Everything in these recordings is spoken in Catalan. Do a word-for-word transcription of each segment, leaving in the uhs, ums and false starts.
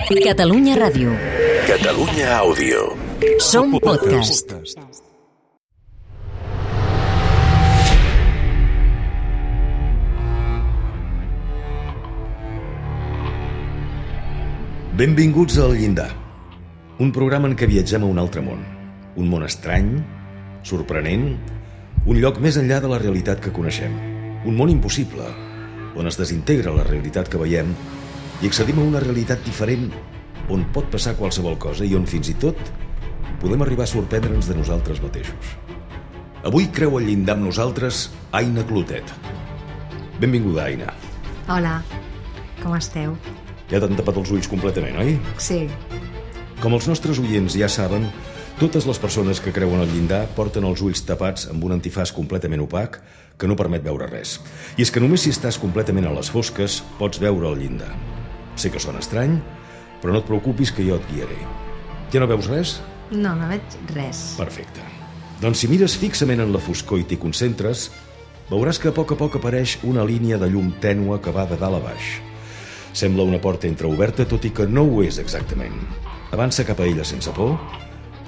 Catalunya Ràdio. Catalunya Àudio. Som podcast. Benvinguts al Llindar, un programa en què viatgem a un altre món. Un món estrany, sorprenent, un lloc més enllà de la realitat que coneixem. Un món impossible, on es desintegra la realitat que veiem i accedim a una realitat diferent on pot passar qualsevol cosa i on fins i tot podem arribar a sorprendre'ns de nosaltres mateixos. Avui creu al llindar amb nosaltres Aina Clotet. Benvinguda, Aina. Hola, com esteu? Ja t'han tapat els ulls completament, oi? Sí. Com els nostres oients ja saben, totes les persones que creuen al llindar porten els ulls tapats amb un antifaç completament opac que no permet veure res. I és que només si estàs completament a les fosques pots veure el llindar. Sé que sona estrany, però no et preocupis que jo et guiaré. Ja no veus res? No, no veig res. Perfecte. Doncs si mires fixament en la foscor i t'hi concentres, veuràs que a poc a poc apareix una línia de llum tènue que va de dalt a baix. Sembla una porta entreoberta, tot i que no ho és exactament. Avança cap a ella sense por,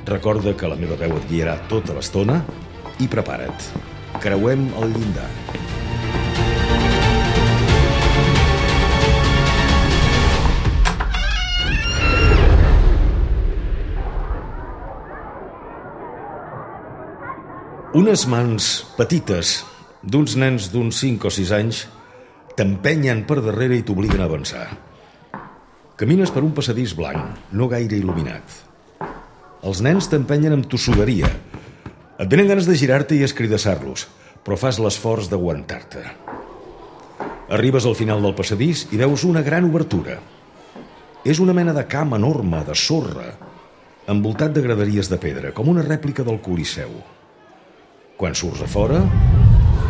recorda que la meva veu et guiarà tota l'estona i prepara't. Creuem el llindar. Unes mans petites d'uns nens d'uns cinc o sis anys t'empenyen per darrere i t'obliguen a avançar. Camines per un passadís blanc, no gaire il·luminat. Els nens t'empenyen amb tossuderia. Et venen ganes de girar-te i escridassar-los, però fas l'esforç d'aguantar-te. Arribes al final del passadís i veus una gran obertura. És una mena de camp enorme, de sorra, envoltat de graderies de pedra, com una rèplica del Coliseu. Quan surts a fora,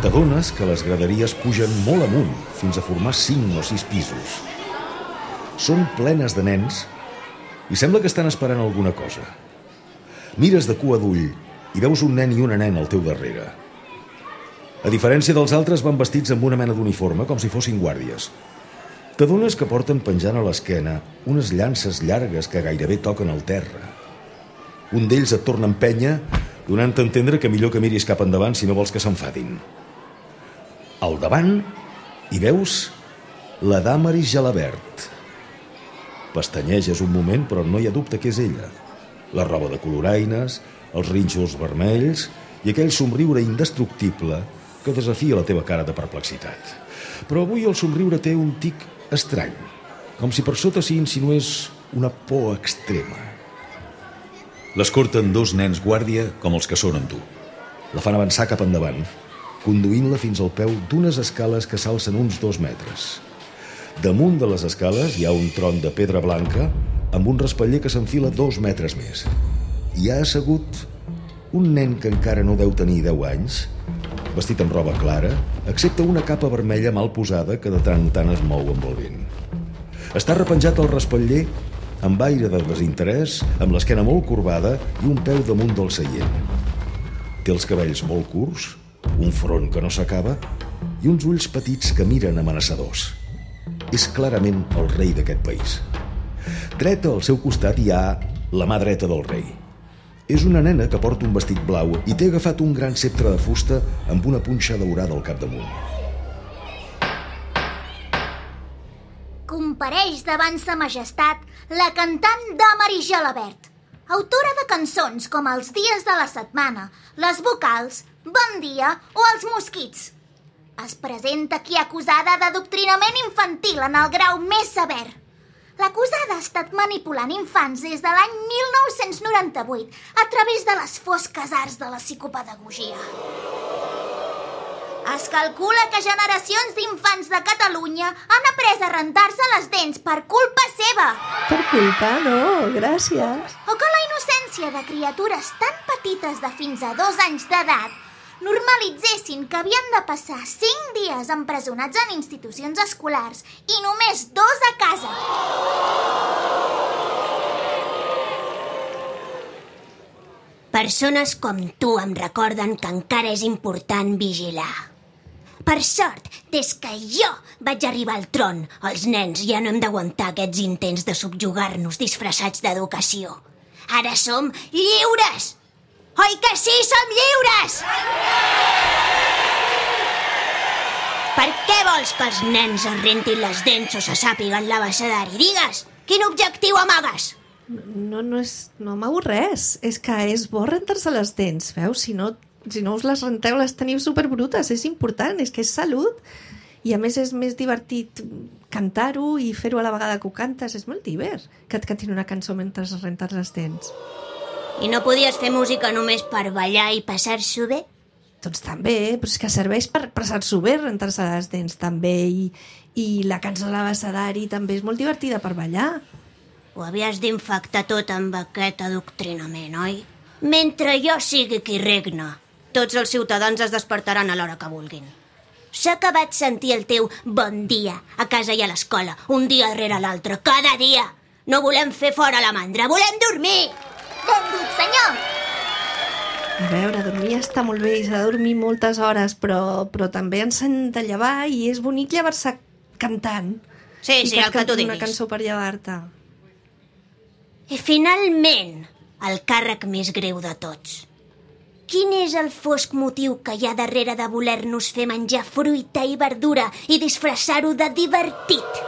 t'adones que les graderies pugen molt amunt, fins a formar cinc o sis pisos. Són plenes de nens i sembla que estan esperant alguna cosa. Mires de cua d'ull i veus un nen i una nena al teu darrere. A diferència dels altres, van vestits amb una mena d'uniforme, com si fossin guàrdies. T'adones que porten penjant a l'esquena unes llances llargues que gairebé toquen el terra. Un d'ells et torna a empènyer, donant a entendre que millor que miris cap endavant si no vols que s'enfadin. Al davant hi veus la Damaris Jalabert. Pestanyeges un moment, però no hi ha dubte que és ella. La roba de coloraines, els rínxols vermells i aquell somriure indestructible que desafia la teva cara de perplexitat. Però avui el somriure té un tic estrany, com si per sota s'hi insinués una por extrema. L'escorten dos nens guàrdia com els que són amb tu. La fan avançar cap endavant, conduint-la fins al peu d'unes escales que s'alcen uns dos metres. Damunt de les escales hi ha un tron de pedra blanca amb un raspaller que s'enfila dos metres més. Hi ha assegut un nen que encara no deu tenir deu anys, vestit amb roba clara, excepte una capa vermella mal posada que de tant en tant es mou amb el vent. Està repenjat al raspaller amb aire de desinterès, amb l'esquena molt corbada i un peu damunt del seient. Té els cabells molt curts, un front que no s'acaba i uns ulls petits que miren amenaçadors. És clarament el rei d'aquest país. Dreta al seu costat hi ha la mà dreta del rei. És una nena que porta un vestit blau i té agafat un gran ceptre de fusta amb una punxa daurada al capdamunt. Compareix davant sa majestat la cantant Damaris Jalabert, autora de cançons com Els dies de la setmana, Les vocals, Bon dia o Els mosquits. Es presenta aquí acusada d'adoctrinament infantil en el grau més sever. L'acusada ha estat manipulant infants des de l'any mil nou-cents noranta-vuit a través de les fosques arts de la psicopedagogia. Es calcula que generacions d'infants de Catalunya han après a rentar-se les dents per culpa seva. Per culpa? No, gràcies. O que la innocència de criatures tan petites de fins a dos anys d'edat normalitzessin que havien de passar cinc dies empresonats en institucions escolars i només dos a casa. Persones com tu em recorden que encara és important vigilar. Per sort, des que jo vaig arribar al tron, els nens ja no hem d'aguantar aquests intents de subjugar-nos disfressats d'educació. Ara som lliures! Oi que sí, som lliures? Per què vols que els nens es rentin les dents o se sàpiguen l'abecedari? Digues, quin objectiu amagues? No, no, és, no amago res. És que és bo rentar-se les dents, veus? Si no, si no us les renteu, les teniu superbrutes. És important, és que és salut. I a més és més divertit cantar-ho i fer-ho a la vegada que ho cantes. És molt divert que et cantin una cançó mentre es rentes les dents. I no podies fer música només per ballar i passar-s'ho bé? Doncs també, però és que serveix per passar-s'ho bé, rentar-se les dents també, i, i la cançó de l'abecedari també és molt divertida per ballar. Ho havies d'infectar tot amb aquest adoctrinament, oi? Mentre jo sigui qui regna, tots els ciutadans es despertaran a l'hora que vulguin. S'ha acabat sentir el teu bon dia a casa i a l'escola, un dia darrere l'altre, cada dia. No volem fer fora la mandra, volem dormir! Benvingut, senyor! A veure, dormir està molt bé i s'ha de dormir moltes hores, però, però també ens hem de llevar i és bonic llevar-se cantant. Sí, sí, el que tu diguis. Una cançó per llevar-te. I finalment, el càrrec més greu de tots. Quin és el fosc motiu que hi ha darrere de voler-nos fer menjar fruita i verdura i disfressar-ho de divertit?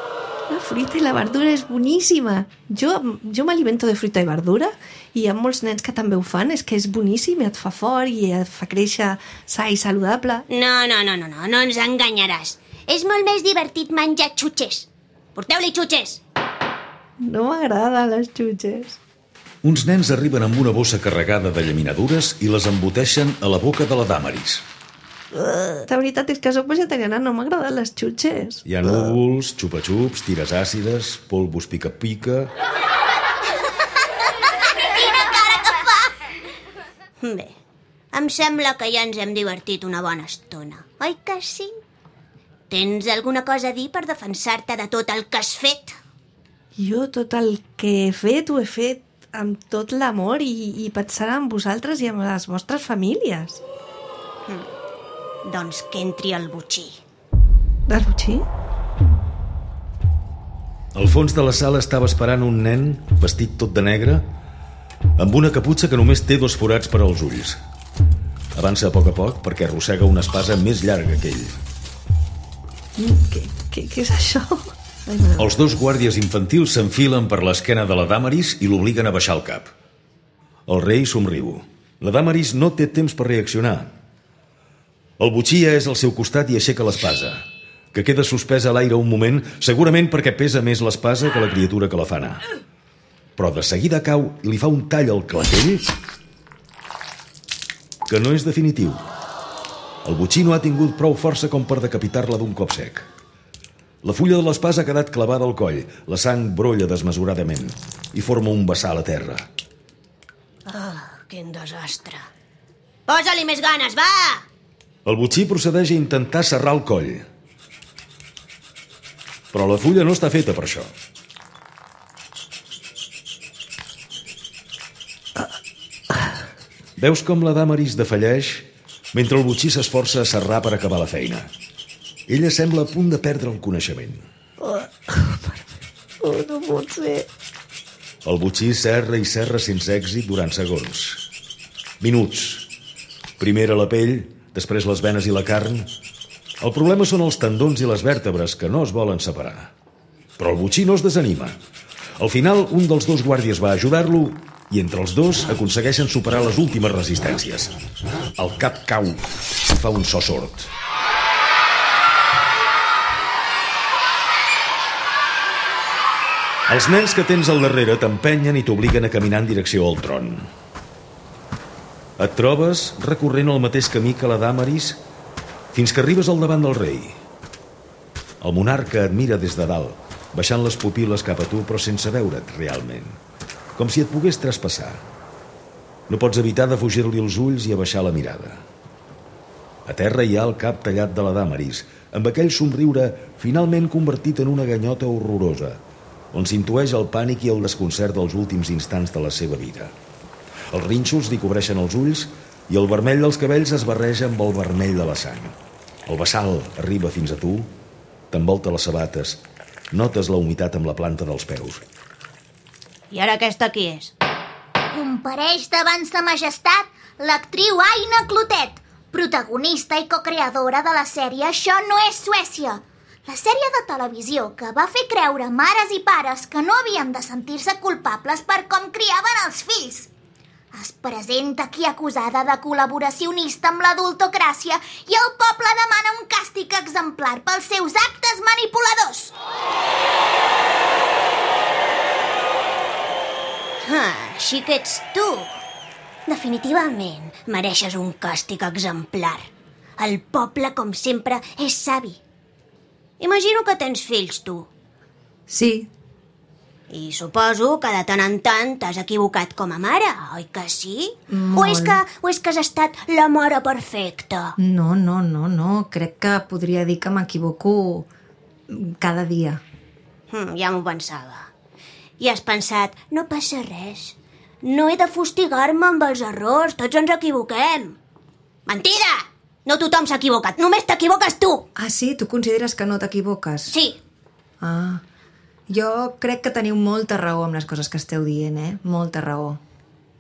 La fruita i la verdura és boníssima. Jo, jo m'alimento de fruita i verdura i hi ha molts nens que també ho fan. És que és boníssim, et fa fort i et fa créixer sa i saludable. No, no, no, no, no, no ens enganyaràs. És molt més divertit menjar xutxes. Porteu-li xutxes. No m'agrada les xutxes. Uns nens arriben amb una bossa carregada de llaminadures i les emboteixen a la boca de la Damaris. La veritat és que soc vegetariana, no m'agraden les xutxes. Hi ha núvols, xupa-xups, tires àcides, polvos pica-pica... Quina cara que fa! Bé, em sembla que ja ens hem divertit una bona estona, oi que sí? Tens alguna cosa a dir per defensar-te de tot el que has fet? Jo tot el que he fet ho he fet amb tot l'amor i, i pensant en vosaltres i en les vostres famílies. Hm. Doncs que entri el botxí. El botxí? Al fons de la sala estava esperant un nen vestit tot de negre amb una caputxa que només té dos forats per als ulls. Avança a poc a poc perquè arrossega una espasa més llarga que ell. Què, què, què és això? Ai, Els dos guàrdies infantils s'enfilen per l'esquena de la Damaris i l'obliguen a baixar el cap. El rei somriu. La Damaris no té temps per reaccionar. El botxí és al seu costat i aixeca l'espasa, que queda suspesa a l'aire un moment, segurament perquè pesa més l'espasa que la criatura que la fa anar. Però de seguida cau i li fa un tall al clatell que no és definitiu. El botxí no ha tingut prou força com per decapitar-la d'un cop sec. La fulla de l'espasa ha quedat clavada al coll, la sang brolla desmesuradament i forma un vessal a terra. Oh, quin desastre. Posa-li més ganes, va! El botxí procedeix a intentar serrar el coll. Però la fulla no està feta per això. Veus com la Damaris defalleix mentre el botxí s'esforça a serrar per acabar la feina. Ella sembla a punt de perdre el coneixement. Oh, oh, no pot ser. El botxí serra i serra sense èxit durant segons. Minuts. Primer a la pell, després les venes i la carn. El problema són els tendons i les vèrtebres, que no es volen separar. Però el botxí no es desanima. Al final, un dels dos guàrdies va ajudar-lo i entre els dos aconsegueixen superar les últimes resistències. El cap cau i fa un so sord. Els nens que tens al darrere t'empenyen i t'obliguen a caminar en direcció al tron. Et trobes recorrent el mateix camí que la Damaris fins que arribes al davant del rei. El monarca et mira des de dalt, baixant les pupil·les cap a tu però sense veure't realment, com si et pogués traspassar. No pots evitar de fugir-li els ulls i abaixar la mirada. A terra hi ha el cap tallat de la Damaris, amb aquell somriure finalment convertit en una ganyota horrorosa, on s'intueix el pànic i el desconcert dels últims instants de la seva vida. Els rínxols li cobreixen els ulls i el vermell dels cabells es barreja amb el vermell de la sang. El bassal arriba fins a tu, t'envolta les sabates, notes la humitat amb la planta dels peus. I ara aquesta qui és? Compareix davant sa majestat l'actriu Aina Clotet, protagonista i cocreadora de la sèrie Això no és Suècia, la sèrie de televisió que va fer creure mares i pares que no havien de sentir-se culpables per com criaven els fills. Es presenta aquí acusada de col·laboracionista amb l'adultocràcia i el poble demana un càstig exemplar pels seus actes manipuladors. Ah, així que ets tu. Definitivament mereixes un càstig exemplar. El poble, com sempre, és savi. Imagino que tens fills, tu. Sí, I suposo que de tant en tant t'has equivocat com a mare, oi que sí? Molt. O és que, o és que has estat la mare perfecta? no, no, no, no. Crec que podria dir que m'equivoco cada dia. Hm, ja m'ho pensava. I has pensat, no passa res. No he de fustigar-me amb els errors, tots ens equivoquem. Mentida! No tothom s'ha equivocat, només t'equivoques tu! Ah, sí? Tu consideres que no t'equivoques? Sí, Ah, jo crec que teniu molta raó amb les coses que esteu dient, eh? Molta raó.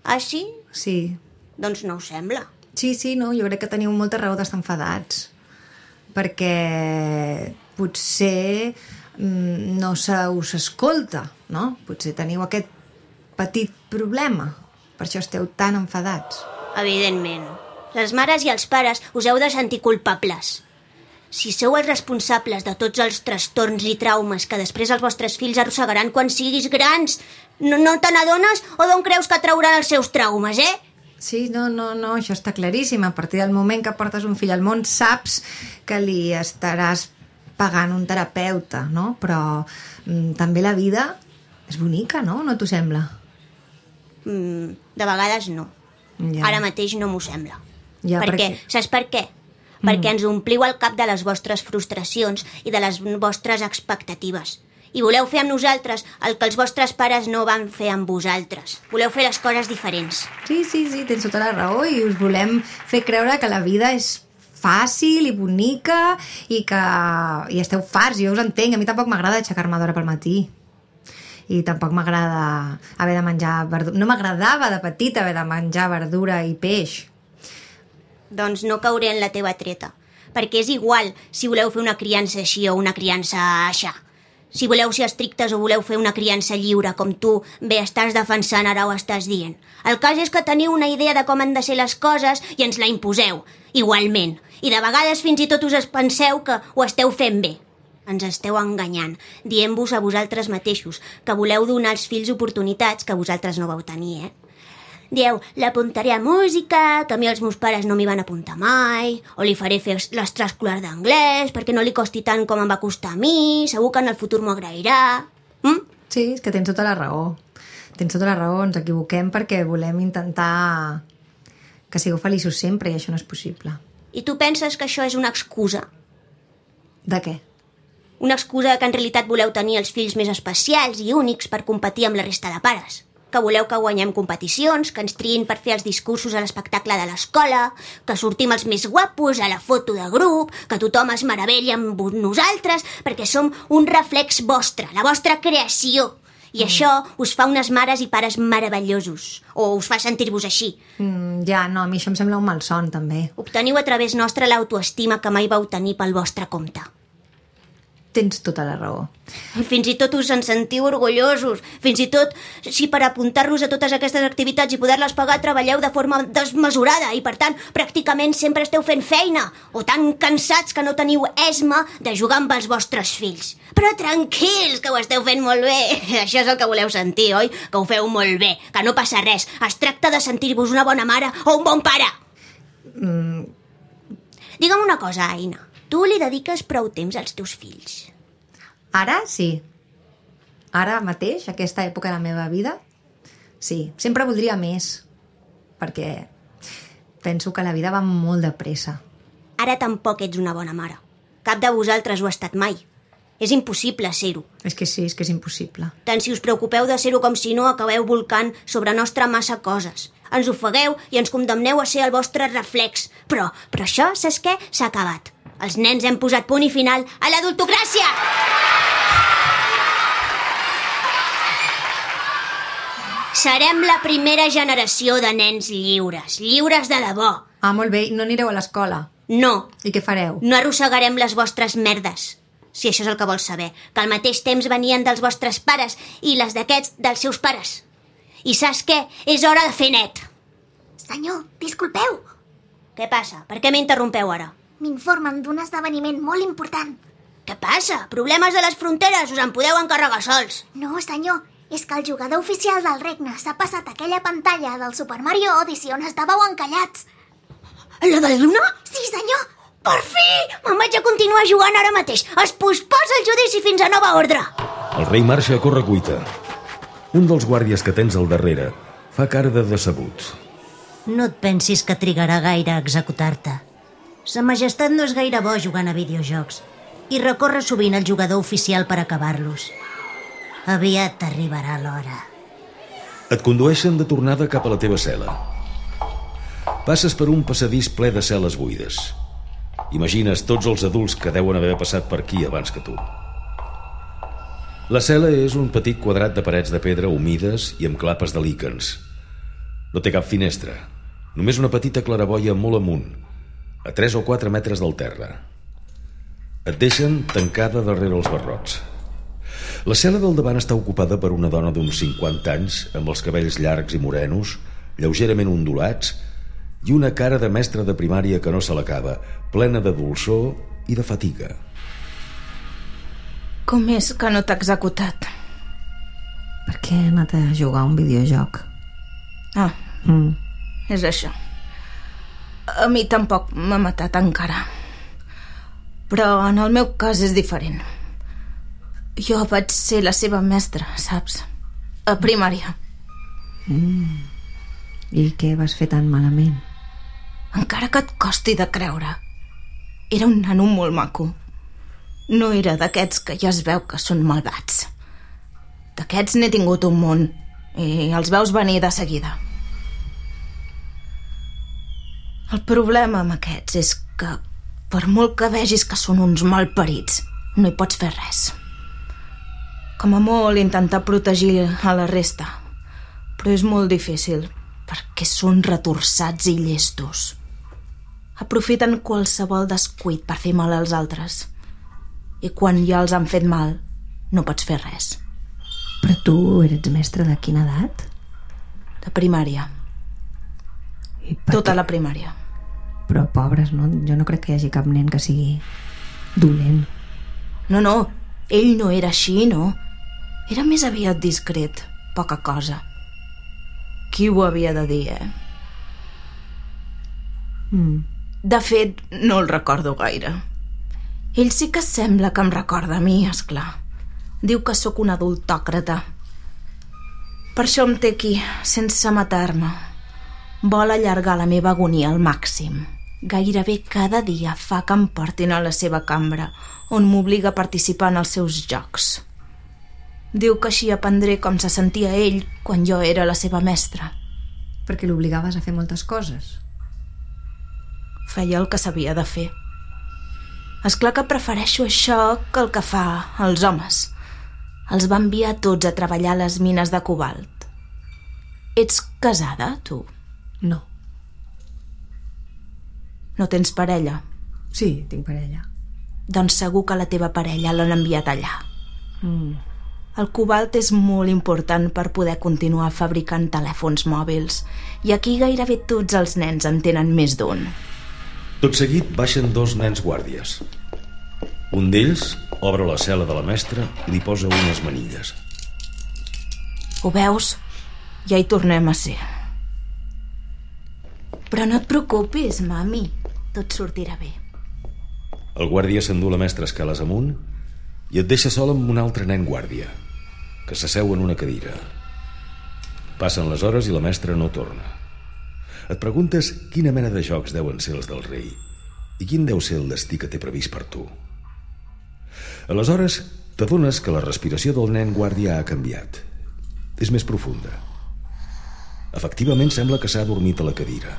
ah sí? Sí, Doncs no ho sembla. sí, sí, no, jo crec que teniu molta raó d'estar enfadats. Perquè potser mm, no se us escolta, no? Potser teniu aquest petit problema. Per això esteu tan enfadats. Evidentment. Les mares i els pares us heu de sentir culpables. Si sou els responsables de tots els trastorns i traumes que després els vostres fills arrossegaran quan siguis grans, no, no te n'adones o d'on creus que trauran els seus traumes, eh? Sí, no, no, no, això està claríssim. A partir del moment que portes un fill al món saps que li estaràs pagant un terapeuta, no? Però mm, també la vida és bonica, no? No t'ho sembla? Mm, de vegades no. Ja. Ara mateix no m'ho sembla. Ja, per perquè- què? Saps per què? Mm. Perquè ens ompliu el cap de les vostres frustracions i de les vostres expectatives. I voleu fer amb nosaltres el que els vostres pares no van fer amb vosaltres. Voleu fer les coses diferents. Sí, sí, sí, tens tota la raó i us volem fer creure que la vida és fàcil i bonica i que i esteu farts, jo us entenc. A mi tampoc m'agrada aixecar-me d'hora pel matí. I tampoc m'agrada haver de menjar verdura. No m'agradava de petita haver de menjar verdura i peix. Doncs no cauré en la teva treta. Perquè és igual si voleu fer una criança així o una criança aixà. Si voleu ser estrictes o voleu fer una criança lliure, com tu bé estàs defensant ara ho estàs dient. El cas és que teniu una idea de com han de ser les coses i ens la imposeu, igualment. I de vegades fins i tot us penseu que ho esteu fent bé. Ens esteu enganyant, dient-vos a vosaltres mateixos que voleu donar als fills oportunitats que vosaltres no vau tenir, eh? Dieu, l'apuntaré a música, que a mi els meus pares no m'hi van apuntar mai, o li faré fer l'extraescolar d'anglès perquè no li costi tant com em va costar a mi, segur que en el futur m'ho agrairà. Mm? Sí, és que tens tota la raó. Tens tota la raó, ens equivoquem perquè volem intentar que sigueu feliços sempre i això no és possible. I tu penses que això és una excusa? De què? Una excusa que en realitat voleu tenir els fills més especials i únics per competir amb la resta de pares. Que voleu que guanyem competicions, que ens triïn per fer els discursos a l'espectacle de l'escola, que sortim els més guapos a la foto de grup, que tothom es meravella amb nosaltres, perquè som un reflex vostre, la vostra creació. I mm. això us fa unes mares i pares meravellosos, o us fa sentir-vos així. Mm, ja, no, a mi això em sembla un malson, també. Obteniu a través nostre l'autoestima que mai vau tenir pel vostre compte. Tens tota la raó. Fins i tot us en sentiu orgullosos. Fins i tot, si per apuntar-vos a totes aquestes activitats i poder-les pagar treballeu de forma desmesurada i, per tant, pràcticament sempre esteu fent feina o tan cansats que no teniu esma de jugar amb els vostres fills. Però tranquils, que ho esteu fent molt bé. Això és el que voleu sentir, oi? Que ho feu molt bé, que no passa res. Es tracta de sentir-vos una bona mare o un bon pare. Mm. Digue'm una cosa, Aina. Tu li dediques prou temps als teus fills? Ara, sí. Ara mateix, aquesta època de la meva vida, sí. Sempre voldria més, perquè penso que la vida va molt de pressa. Ara tampoc ets una bona mare. Cap de vosaltres ho ha estat mai. És impossible ser-ho. És que sí, és que és impossible. Tant si us preocupeu de ser-ho com si no acabeu volcant sobre nostra massa coses. Ens ofegueu i ens condemneu a ser el vostre reflex. Però, però això, saps què? S'ha acabat. Els nens hem posat punt i final a l'adultocràcia! Serem la primera generació de nens lliures, lliures de debò. Ah, molt bé, no anireu a l'escola. No. I què fareu? No arrossegarem les vostres merdes, si això és el que vols saber, que al mateix temps venien dels vostres pares i les d'aquests dels seus pares. I saps què? És hora de fer net. Senyor, disculpeu. Què passa? Per què m'interrompeu ara? M'informen d'un esdeveniment molt important. Què passa? Problemes de les fronteres, us en podeu encarregar sols. No, senyor, és que el jugador oficial del regne s'ha passat aquella pantalla del Super Mario Odyssey on estàveu encallats. La de la Luna? Sí, senyor. Per fi! Me'n vaig a continuar jugant ara mateix. Es posposa el judici fins a nova ordre. El rei marxa a correcuita. Un dels guàrdies que tens al darrere fa cara de decebut. No et pensis que trigarà gaire a executar-te. Sa majestat no és gaire bo jugant a videojocs i recorre sovint el jugador oficial per acabar-los. Aviat t'arribarà l'hora. Et condueixen de tornada cap a la teva cel·la. Passes per un passadís ple de cel·les buides. Imagines tots els adults que deuen haver passat per aquí abans que tu. La cel·la és un petit quadrat de parets de pedra humides i amb clapes de líquens. No té cap finestra, només una petita claraboia molt amunt, a tres o quatre metres del terra. Et deixen tancada darrere els barrots. La cel·la del davant està ocupada per una dona d'uns cinquanta anys, amb els cabells llargs i morenos, lleugerament ondulats, i una cara de mestre de primària que no se l'acaba, plena de dolçor i de fatiga. Com és que no t'ha executat? Per què he anat a jugar a un videojoc? Ah, Mm. és això. A mi tampoc m'ha matat encara. Però en el meu cas és diferent. Jo vaig ser la seva mestra, saps? A primària. Mm. I què vas fer tan malament? Encara que et costi de creure. Era un nano molt maco. No era d'aquests que ja es veu que són malvats. D'aquests n'he tingut un munt i els veus venir de seguida. El problema amb aquests és que, per molt que vegis que són uns malparits, no hi pots fer res. Com a molt intentar protegir a la resta, però és molt difícil perquè són retorçats i llestos. Aprofiten qualsevol descuit per fer mal als altres. I quan ja els han fet mal, no pots fer res. Però tu eres mestre de quina edat? De primària. I per Tota què? la primària. Però pobres, no? Jo no crec que hi hagi cap nen que sigui dolent. No, no, ell no era així, no. Era més aviat discret, poca cosa. Qui ho havia de dir, eh? Mm. De fet, no el recordo gaire. Ell sí que sembla que em recorda a mi, esclar. Diu que sóc un adultòcrata. Per això em té aquí, sense matar-me. Vol allargar la meva agonia al màxim. Gairebé cada dia fa que em portin a la seva cambra, on m'obliga a participar en els seus jocs. Diu que així aprendré com se sentia ell quan jo era la seva mestra. Perquè l'obligaves a fer moltes coses. Feia el que sabia de fer. És clar que prefereixo això que el que fa els homes. Els va enviar tots a treballar a les mines de cobalt. Ets casada, tu? No. No tens parella? Sí, tinc parella. Doncs segur que la teva parella l'han enviat allà. Mm. El cobalt és molt important per poder continuar fabricant telèfons mòbils i aquí gairebé tots els nens en tenen més d'un. Tot seguit baixen dos nens guàrdies. Un d'ells obre la cel·la de la mestra i li posa unes manilles. Ho veus? Ja hi tornem a ser. Però no et preocupis, mami. Tot sortirà bé. El guàrdia s'endú la mestra escales amunt i et deixa sol amb un altre nen guàrdia, que s'asseu en una cadira. Passen les hores i la mestra no torna. Et preguntes quina mena de jocs deuen ser els del rei i quin deu ser el destí que té previst per tu. Aleshores, t'adones que la respiració del nen guàrdia ha canviat. És més profunda. Efectivament, sembla que s'ha adormit a la cadira.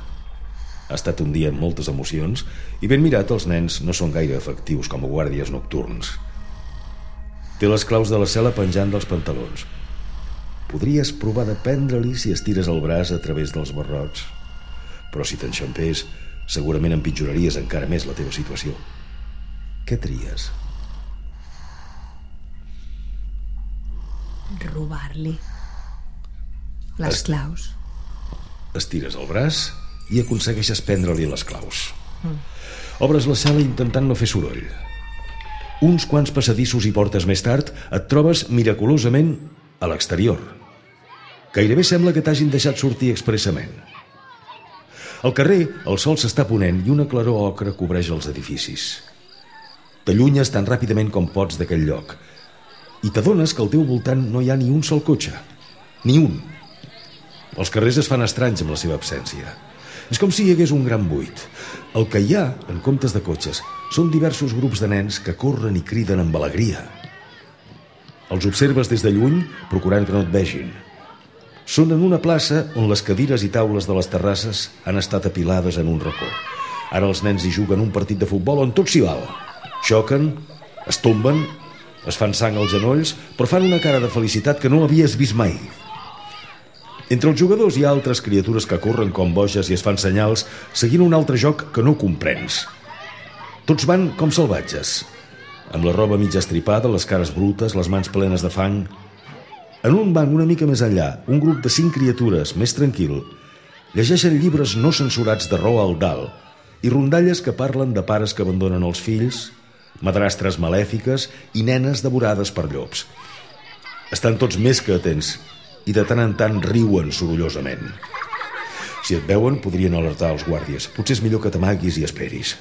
Ha estat un dia amb moltes emocions i ben mirat, els nens no són gaire efectius com a guàrdies nocturns. Té les claus de la cel·la penjant dels pantalons. Podries provar de prendre-li si estires el braç a través dels barrots, però si t'enxampés, segurament empitjoraries encara més la teva situació. Què tries? Robar-li les Est- claus. Estires el braç i aconsegueixes prendre-li les claus. Mm. Obres la cel·la intentant no fer soroll. Uns quants passadissos i portes més tard et trobes miraculosament a l'exterior. Gairebé sembla que t'hagin deixat sortir expressament. Al carrer el sol s'està ponent i una claror ocre cobreix els edificis. T'allunyes tan ràpidament com pots d'aquell lloc i t'adones que al teu voltant no hi ha ni un sol cotxe. Ni un. Els carrers es fan estranys amb la seva absència. És com si hi hagués un gran buit. El que hi ha, en comptes de cotxes, són diversos grups de nens que corren i criden amb alegria. Els observes des de lluny, procurant que no et vegin. Són en una plaça on les cadires i taules de les terrasses han estat apilades en un racó. Ara els nens hi juguen un partit de futbol on tot s'hi val. Xoquen, es tomben, es fan sang als genolls, però fan una cara de felicitat que no havies vist mai. Entre els jugadors hi ha altres criatures que corren com boges i es fan senyals seguint un altre joc que no comprens. Tots van com salvatges, amb la roba mitja estripada, les cares brutes, les mans plenes de fang. En un banc una mica més enllà, un grup de cinc criatures, més tranquil, llegeixen llibres no censurats de Roald Dahl i rondalles que parlen de pares que abandonen els fills, madrastres malèfiques i nenes devorades per llops. Estan tots més que atents i de tant en tant riuen sorollosament. Si et veuen, podrien alertar els guàrdies. Potser és millor que t'amaguis i esperis.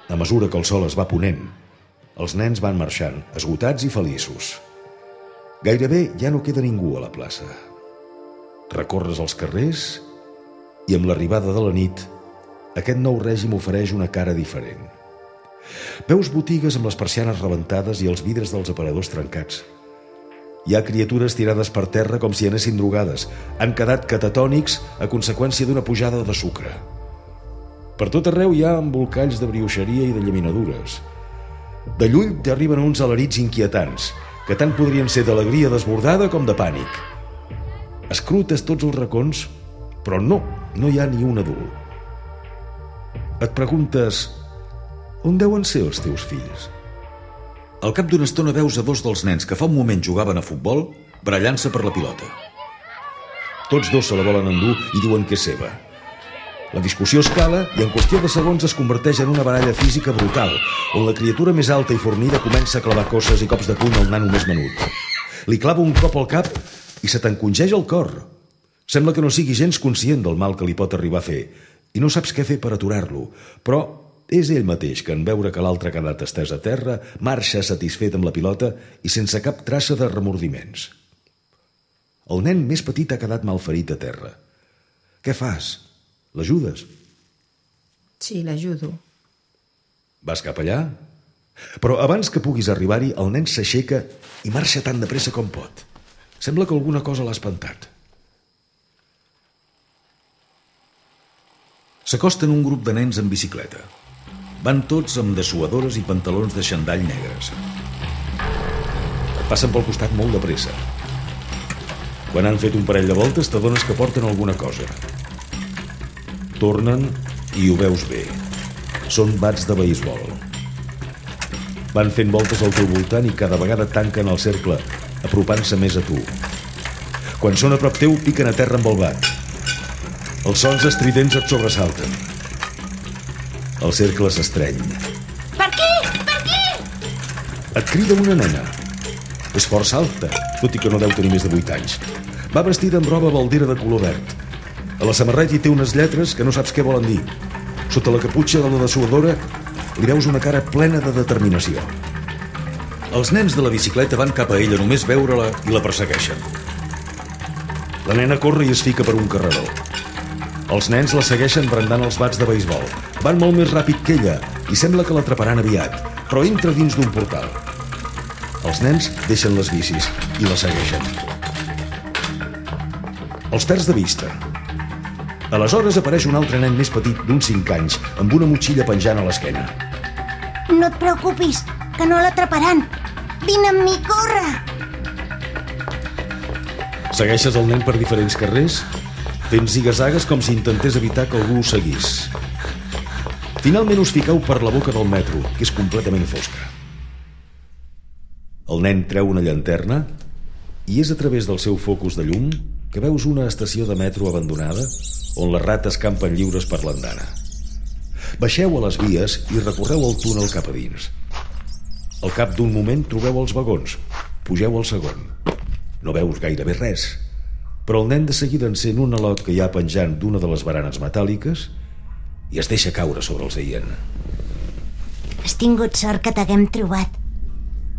A mesura que el sol es va ponent, els nens van marxant, esgotats i feliços. Gairebé ja no queda ningú a la plaça. Recorres els carrers i amb l'arribada de la nit, aquest nou règim ofereix una cara diferent. Veus botigues amb les persianes rebentades i els vidres dels aparadors trencats. Hi ha criatures tirades per terra com si anessin drogades. Han quedat catatònics a conseqüència d'una pujada de sucre. Per tot arreu hi ha embolcalls de brioixeria i de llaminadures. De lluny t'arriben uns alarits inquietants, que tant podrien ser d'alegria desbordada com de pànic. Escrutes tots els racons, però no, no hi ha ni un adult. Et preguntes, on deuen ser els teus fills? Al cap d'una estona veus a dos dels nens que fa un moment jugaven a futbol barallant-se per la pilota. Tots dos se la volen endur i diuen que és seva. La discussió escala i en qüestió de segons es converteix en una baralla física brutal, on la criatura més alta i fornida comença a clavar cosses i cops de puny al nano més menut. Li clava un cop al cap i se t'encongeja el cor. Sembla que no sigui gens conscient del mal que li pot arribar a fer i no saps què fer per aturar-lo, però és ell mateix que en veure que l'altre ha quedat estès a terra, marxa satisfet amb la pilota i sense cap traça de remordiments. El nen més petit ha quedat malferit a terra. Què fas? L'ajudes? Sí, l'ajudo. Vas cap allà? Però abans que puguis arribar-hi, el nen s'aixeca i marxa tan de pressa com pot. Sembla que alguna cosa l'ha espantat. S'acosten un grup de nens en bicicleta. Van tots amb dessuadores i pantalons de xandall negres. Et passen pel costat molt de pressa. Quan han fet un parell de voltes t'adones que porten alguna cosa. Tornen i ho veus bé. Són bats de beisbol. Van fent voltes al teu voltant i cada vegada tanquen el cercle, apropant-se més a tu. Quan són a prop teu, piquen a terra amb el bat. Els sons estridents et sobresalten. El cercle s'estreny. Per aquí! Per aquí! Et crida una nena. És força alta, tot i que no deu tenir més de vuit anys. Va vestida amb roba baldera de color verd. A la samarreta hi té unes lletres que no saps què volen dir. Sota la caputxa de la dessuadora li veus una cara plena de determinació. Els nens de la bicicleta van cap a ella només veure-la i la persegueixen. La nena corre i es fica per un carreró. Els nens la segueixen brandant els bats de beisbol. Van molt més ràpid que ella i sembla que l'atraparan aviat, però entra dins d'un portal. Els nens deixen les bicis i la segueixen. Els perds de vista. Aleshores apareix un altre nen més petit d'uns cinc anys, amb una motxilla penjant a l'esquena. No et preocupis, que no l'atraparan. Vine amb mi, corre! Segueixes el nen per diferents carrers, fent zigazagues com si intentés evitar que algú us seguís. Finalment us fiqueu per la boca del metro, que és completament fosca. El nen treu una llanterna i és a través del seu focus de llum que veus una estació de metro abandonada on les rates campen lliures per l'andana. Baixeu a les vies i recorreu el túnel cap a dins. Al cap d'un moment trobeu els vagons. Pugeu al segon. No veus gairebé res, però el nen de seguida encén un alot que hi ha penjant d'una de les baranes metàl·liques i es deixa caure sobre el seient. Has tingut sort que t'haguem trobat.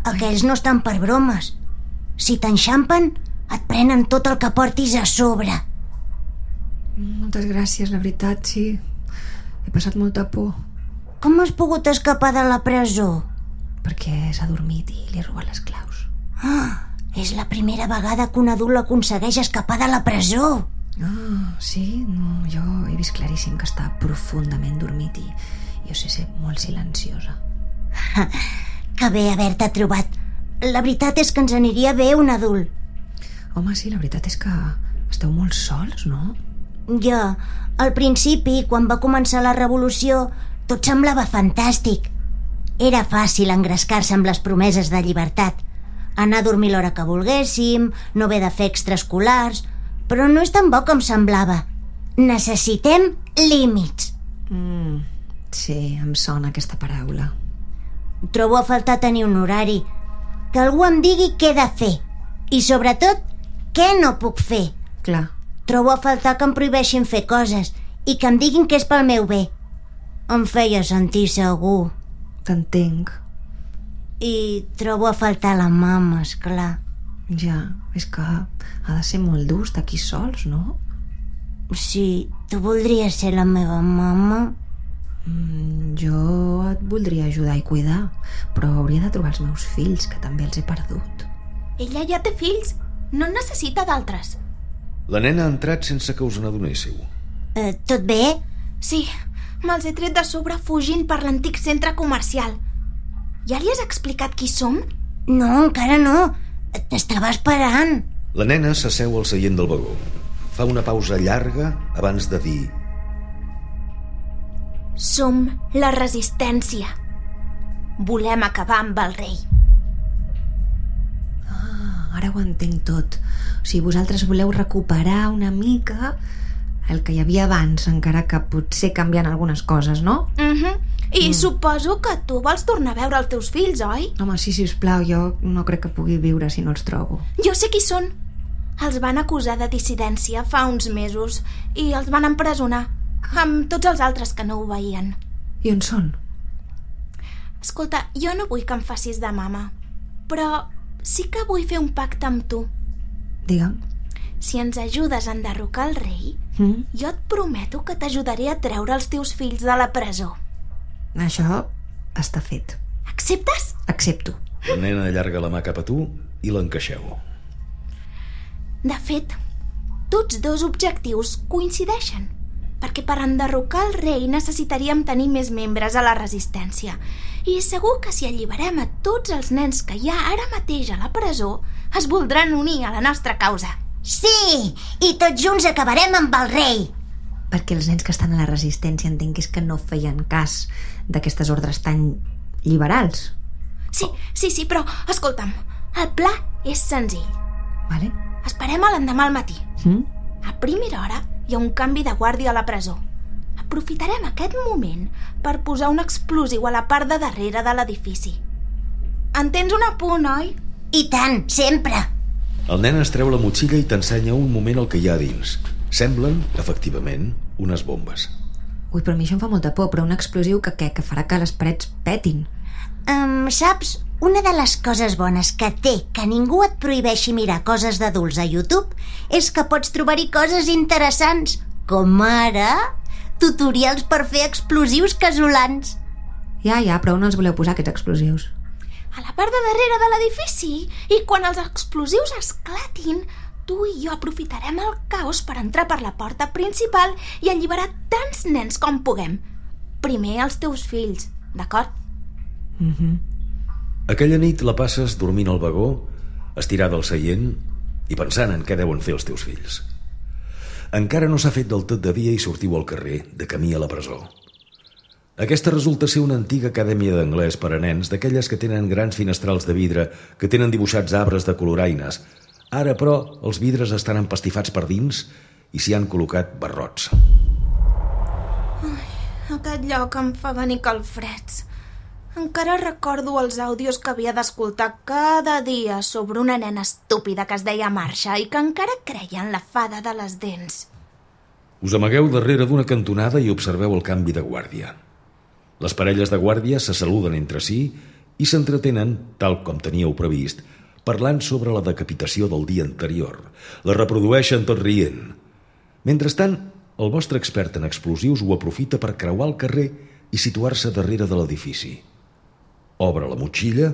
Aquells no estan per bromes. Si t'enxampen, et prenen tot el que portis a sobre. Moltes gràcies, la veritat, sí. He passat molta por. Com has pogut escapar de la presó? Perquè s'ha dormit i li he robat les claus. Ah, és la primera vegada que un adult aconsegueix escapar de la presó. Ah, sí? No, jo he vist claríssim que està profundament dormit i jo sé ser molt silenciosa. Que bé haver-te trobat. La veritat és que ens aniria bé un adult. Home, sí, la veritat és que esteu molt sols, no? Ja, al principi, quan va començar la revolució, tot semblava fantàstic. Era fàcil engrescar-se amb les promeses de llibertat. Anar a dormir l'hora que volguéssim, no haver de fer extraescolars... Però no és tan bo com semblava. Necessitem límits. Mm, sí, em sona aquesta paraula. Trobo a faltar tenir un horari. Que algú em digui què he de fer. I sobretot, què no puc fer. Clar. Trobo a faltar que em prohibeixin fer coses i que em diguin que és pel meu bé. Em feia sentir segur. T'entenc. I trobo a faltar la mama, esclar. Ja, és que ha de ser molt dur estar aquí sols, no? Sí, tu voldries ser la meva mama? Mm, jo et voldria ajudar i cuidar, però hauria de trobar els meus fills, que també els he perdut. Ella ja té fills, no en necessita d'altres. La nena ha entrat sense que us n'adonéssiu. Eh, tot bé? Sí, me'ls he tret de sobre fugint per l'antic centre comercial. Ja li has explicat qui som? No, encara no. T'estava esperant. La nena s'asseu al seient del vagó. Fa una pausa llarga abans de dir: Som la resistència. Volem acabar amb el rei. Ah, ara ho entenc tot. O sigui, vosaltres voleu recuperar una mica el que hi havia abans, encara que potser canviant algunes coses, no? Mhm. I mm. suposo que tu vols tornar a veure els teus fills, oi? Home, sí, sisplau, jo no crec que pugui viure si no els trobo. Jo sé qui són. Els van acusar de dissidència fa uns mesos i els van empresonar, amb tots els altres que no ho veien. I on són? Escolta, jo no vull que em facis de mama, però sí que vull fer un pacte amb tu. Digue'm. Si ens ajudes a enderrocar el rei, mm? jo et prometo que t'ajudaré a treure els teus fills de la presó. Això està fet. Acceptes? Accepto. La nena allarga la mà cap a tu i l'encaixeu. De fet, tots dos objectius coincideixen, perquè per enderrocar el rei necessitaríem tenir més membres a la resistència. I segur que si alliberem a tots els nens que hi ha ara mateix a la presó, es voldran unir a la nostra causa. Sí, i tots junts acabarem amb el rei. Perquè els nens que estan a la resistència entenc que és que no feien cas d'aquestes ordres tan liberals. Sí, sí, sí, però escolta'm, el pla és senzill. Vale. Esperem a l'endemà al matí. Mm? A primera hora hi ha un canvi de guàrdia a la presó. Aprofitarem aquest moment per posar un explosiu a la part de darrere de l'edifici. En tens un apunt, oi? I tant, sempre. El nen es treu la motxilla i t'ensenya un moment el que hi ha dins. Semblen, efectivament, unes bombes. Ui, però a mi això em fa molta por, però un explosiu que què? Que farà que les parets petin. Um, saps, una de les coses bones que té que ningú et prohibeixi mirar coses d'adults a YouTube és que pots trobar-hi coses interessants, com ara tutorials per fer explosius casolans. Ja, ja, però on els voleu posar, aquests explosius? A la part de darrere de l'edifici. I quan els explosius esclatin, tu i jo aprofitarem el caos per entrar per la porta principal i alliberar tants nens com puguem. Primer els teus fills, d'acord? Mm-hmm. Aquella nit la passes dormint al vagó, estirada al seient i pensant en què deuen fer els teus fills. Encara no s'ha fet del tot de dia i sortiu al carrer, de camí a la presó. Aquesta resulta ser una antiga acadèmia d'anglès per a nens, d'aquelles que tenen grans finestrals de vidre, que tenen dibuixats arbres de coloraines. Ara, però, els vidres estan empastifats per dins i s'hi han col·locat barrots. Ai, aquest lloc em fa venir calfreds. Encara recordo els àudios que havia d'escoltar cada dia sobre una nena estúpida que es deia Marsha i que encara creia en la fada de les dents. Us amagueu darrere d'una cantonada i observeu el canvi de guàrdia. Les parelles de guàrdia se saluden entre si i s'entretenen, tal com teníeu previst, parlant sobre la decapitació del dia anterior. La reprodueixen tot rient. Mentrestant, el vostre expert en explosius ho aprofita per creuar el carrer i situar-se darrere de l'edifici. Obre la motxilla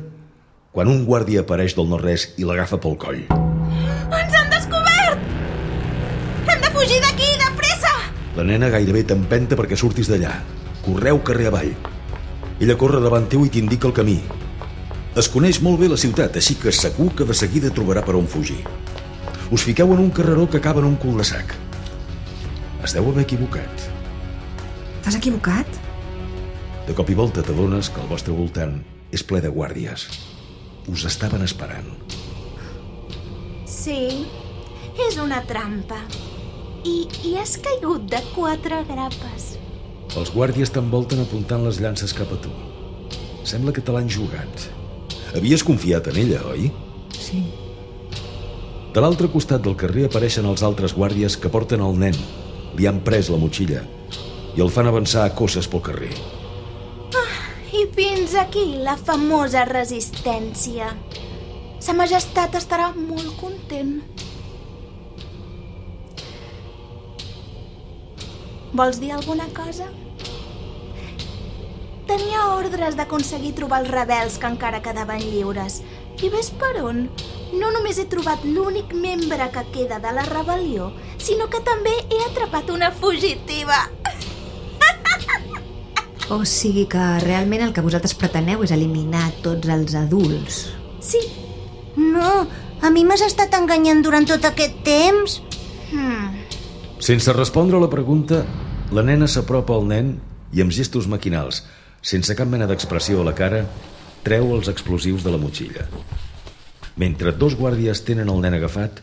quan un guàrdia apareix del no-res i l'agafa pel coll. Ens han descobert! Hem de fugir d'aquí, de pressa! La nena gairebé t'empenta perquè surtis d'allà. Correu carrer avall. Ella corre davant teu i t'indica el camí. Es coneix molt bé la ciutat, així que segur que de seguida trobarà per on fugir. Us fiqueu en un carreró que acaba en un cul-de-sac. Es deu haver equivocat. T'has equivocat? De cop i volta t'adones que al vostre voltant és ple de guàrdies. Us estaven esperant. Sí, és una trampa. I, i has caigut de quatre grapes. Els guàrdies t'envolten apuntant les llances cap a tu. Sembla que te l'han jugat. Havies confiat en ella, oi? Sí. De l'altre costat del carrer apareixen els altres guàrdies que porten el nen. Li han pres la motxilla i el fan avançar a cosses pel carrer. Ah, i fins aquí la famosa resistència. Sa Majestat estarà molt content. Vols dir alguna cosa? Tenia ordres d'aconseguir trobar els rebels que encara quedaven lliures. I ves per on? No només he trobat l'únic membre que queda de la rebel·lió, sinó que també he atrapat una fugitiva. O sigui que realment el que vosaltres preteneu és eliminar tots els adults. Sí. No, a mi m'has estat enganyant durant tot aquest temps? Hmm. Sense respondre a la pregunta, la nena s'apropa al nen i amb gestos maquinals, sense cap mena d'expressió a la cara, treu els explosius de la motxilla. Mentre dos guàrdies tenen el nen agafat,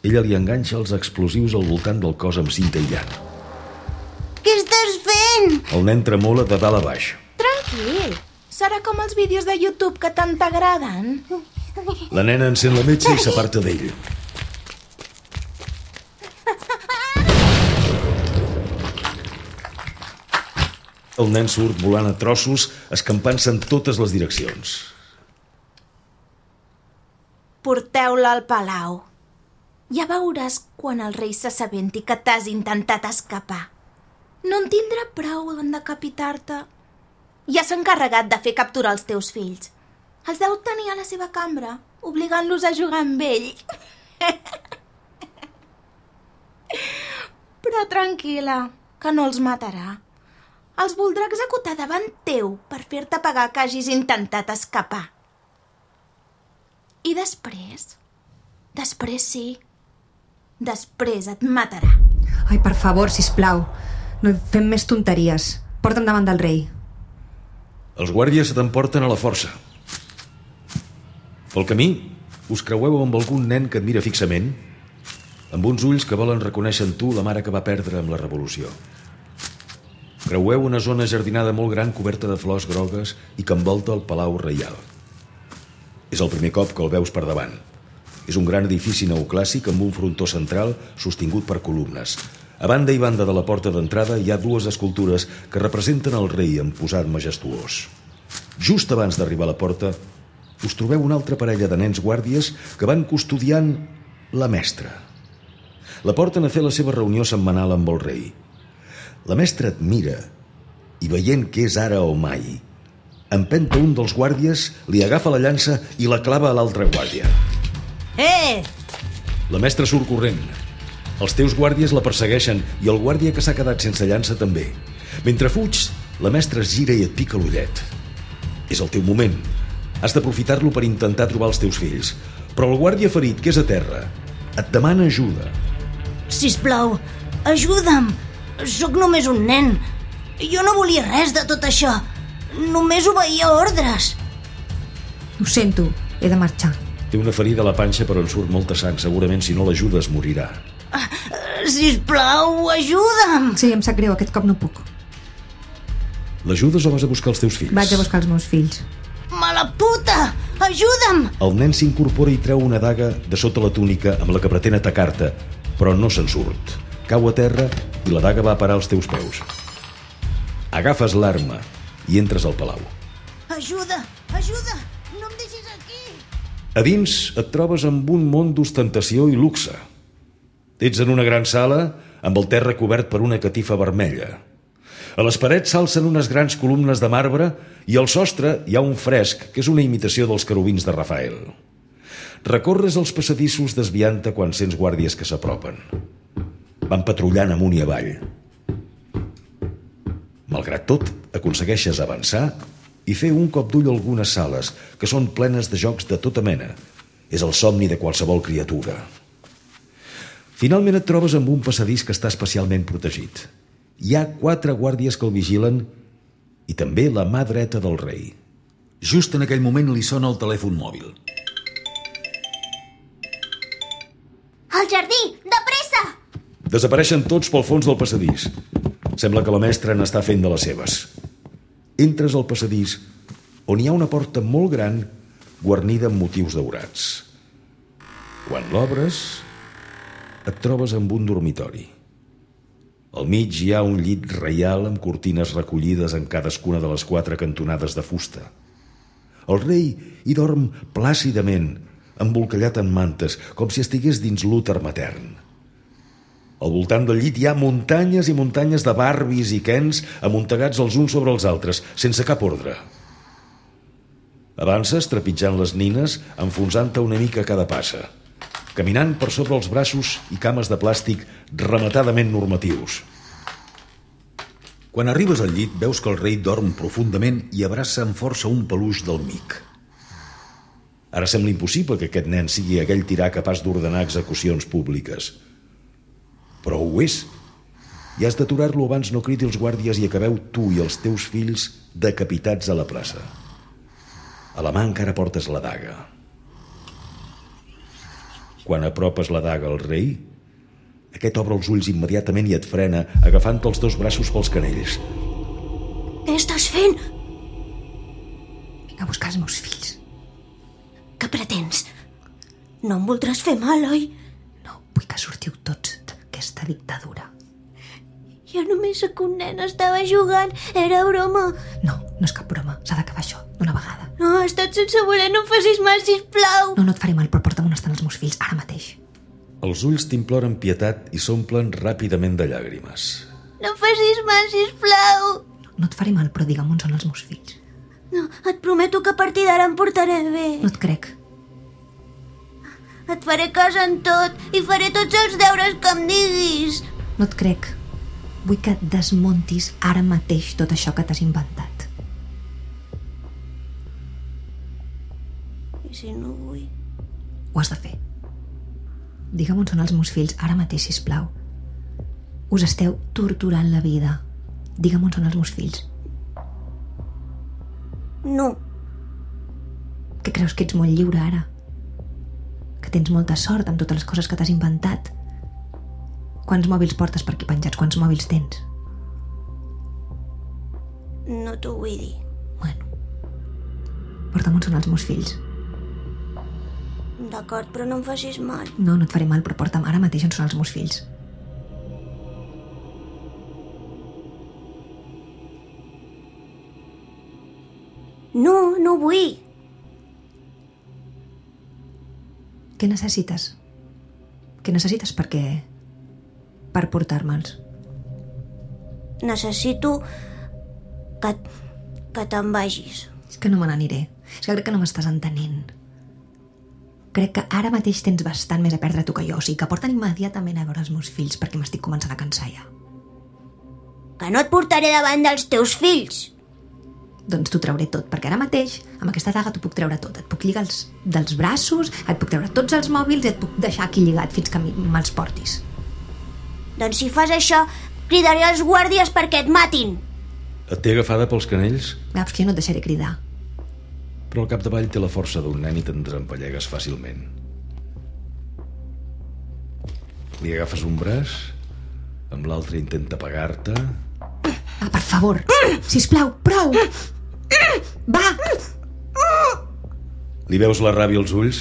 ella li enganxa els explosius al voltant del cos amb cinta aïllant. Què estàs fent? El nen tremola de dalt a baix. Tranquil, serà com els vídeos de YouTube que tant t'agraden. La nena encén la metxa i s'aparta d'ell. El nen surt volant a trossos, escampant-se en totes les direccions. Porteu-la al palau. Ja veuràs quan el rei s'assabenti que t'has intentat escapar. No en tindrà prou en decapitar-te. Ja s'ha encarregat de fer capturar els teus fills. Els deu tenir a la seva cambra, obligant-los a jugar amb ell. Però tranquil·la, que no els matarà. Els voldrà executar davant teu per fer-te pagar que hagis intentat escapar. I després? Després sí. Després et matarà. Ai, per favor, sisplau, no fem més tonteries. Porta'm davant del rei. Els guàrdies t'emporten a la força. Pel camí, us creueu amb algun nen que et mira fixament, amb uns ulls que volen reconèixer en tu la mare que va perdre amb la revolució. Creueu una zona jardinada molt gran coberta de flors grogues i que envolta el Palau Reial. És el primer cop que el veus per davant. És un gran edifici neoclàssic amb un frontó central sostingut per columnes. A banda i banda de la porta d'entrada hi ha dues escultures que representen el rei en posat majestuós. Just abans d'arribar a la porta, us trobeu una altra parella de nens guàrdies que van custodiant la mestra. La porten a fer la seva reunió setmanal amb el rei. La mestra et mira i, veient que és ara o mai, empenta un dels guàrdies, li agafa la llança i la clava a l'altre guàrdia. Eh! La mestra surt corrent. Els teus guàrdies la persegueixen i el guàrdia que s'ha quedat sense llança també. Mentre fuig, la mestra es gira i et pica l'ullet. És el teu moment. Has d'aprofitar-lo per intentar trobar els teus fills. Però el guàrdia ferit, que és a terra, et demana ajuda. Sisplau, ajuda'm. Sóc només un nen. Jo no volia res de tot això. Només obeïa ordres. Ho sento, he de marxar. Té una ferida a la panxa per on surt molta sang. Segurament si no l'ajudes morirà. Sisplau, ajuda'm. Sí, em sap greu, aquest cop no puc. L'ajudes o vas a buscar els teus fills? Vaig a buscar els meus fills. Mala puta! Ajuda'm! El nen s'incorpora i treu una daga de sota la túnica amb la que pretén atacar-te, però no se'n surt. Cau a terra i la daga va a parar als teus peus. Agafes l'arma i entres al palau. Ajuda! Ajuda! No em deixis aquí! A dins et trobes amb un món d'ostentació i luxe. Ets en una gran sala amb el terra cobert per una catifa vermella. A les parets s'alcen unes grans columnes de marbre i al sostre hi ha un fresc que és una imitació dels querubins de Rafael. Recorres els passadissos desviant-te quan sents guàrdies que s'apropen. Van patrullant amunt i avall. Malgrat tot, aconsegueixes avançar i fer un cop d'ull a algunes sales que són plenes de jocs de tota mena. És el somni de qualsevol criatura. Finalment et trobes amb un passadís que està especialment protegit. Hi ha quatre guàrdies que el vigilen i també la mà dreta del rei. Just en aquell moment li sona el telèfon mòbil. Al jardí, de pressa! Desapareixen tots pel fons del passadís. Sembla que la mestra n'està fent de les seves. Entres al passadís on hi ha una porta molt gran guarnida amb motius daurats. Quan l'obres, et trobes amb un dormitori. Al mig hi ha un llit reial amb cortines recollides en cadascuna de les quatre cantonades de fusta. El rei hi dorm plàcidament, embolcallat en mantes, com si estigués dins l'úter matern. Al voltant del llit hi ha muntanyes i muntanyes de barbis i quens amuntegats els uns sobre els altres, sense cap ordre. Avances trepitjant les nines, enfonsant-te una mica a cada passa, caminant per sobre els braços i cames de plàstic rematadament normatius. Quan arribes al llit, veus que el rei dorm profundament i abraça amb força un peluix del mic. Ara sembla impossible que aquest nen sigui aquell tirà capaç d'ordenar execucions públiques. Però ho és. I has d'aturar-lo abans no cridi els guàrdies i acabeu tu i els teus fills decapitats a la plaça. A la mà encara portes la daga. Quan apropes la daga al rei, aquest obre els ulls immediatament i et frena, agafant-te els dos braços pels canells. Què estàs fent? Vinc a buscar els meus fills. Què pretens? No em voldràs fer mal, oi? No, vull que sortiu tots d'aquesta dictadura. Jo només sóc un nen, estava jugant, era broma. No, no és cap broma, s'ha d'acabar això, d'una vegada. No, has estat sense voler, no em facis mal, sisplau. No, no et faré mal, però porta'm on estan els meus fills, ara mateix. Els ulls t'imploren pietat i s'omplen ràpidament de llàgrimes. No em facis mal, sisplau. No, no et faré mal, però digue'm on són els meus fills. No, et prometo que a partir d'ara em portaré bé. No et crec. Et faré cas en tot i faré tots els deures que em diguis. No et crec. Vull que desmontis ara mateix tot això que t'has inventat. I si no vull? Ho has de fer. Digue'm on són els meus fills ara mateix, sisplau. Us esteu torturant la vida. Digue'm on són els meus fills. No. Que creus que ets molt lliure ara? Que tens molta sort amb totes les coses que t'has inventat? Quants mòbils portes per aquí penjats? Quants mòbils tens? No t'ho vull dir. Bueno. Porta'm on són els meus fills. D'acord, però no em facis mal. No, no et faré mal, però porta'm ara mateix on són els meus fills. No, no vull. Què necessites? Què necessites per què? Per portar-me'ls. Necessito que, que te'n vagis. És que no me n'aniré. És que crec que no m'estàs entenent. crec que ara mateix tens bastant més a perdre tu que jo, o sigui que porten immediatament a veure els meus fills perquè m'estic començant a cansar ja. Que no et portaré davant dels teus fills. Doncs t'ho trauré tot, perquè ara mateix amb aquesta daga t'ho puc treure tot. Et puc lligar els, dels braços, et puc treure tots els mòbils i et puc deixar aquí lligat fins que me'ls portis. Doncs si fas això, cridaré als guàrdies perquè et matin. Et té agafada pels canells? Veus que jo no et deixaré cridar. Però al capdavall té la força d'un nen i te'n desempallegues fàcilment. Li agafes un braç, amb l'altre intenta pegar-te... Ah, per favor, sisplau, prou! Va! Li veus la ràbia als ulls?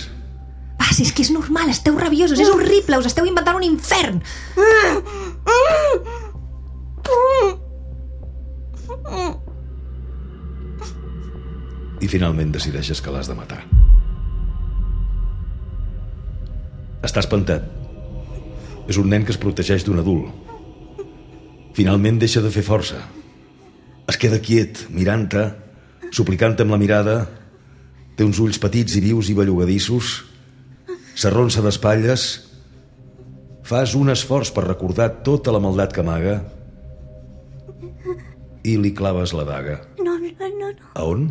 Va, si és que és normal, esteu rabiosos, és horrible, us esteu inventant un infern! I finalment decideixes que l'has de matar. Està espantat. És un nen que es protegeix d'un adult. Finalment deixa de fer força. Es queda quiet, mirant-te, suplicant-te amb la mirada. Té uns ulls petits i vius i bellugadissos. S'arronsa d'espatlles. Fas un esforç per recordar tota la maldat que amaga i li claves la daga. No, no, no, no. A on?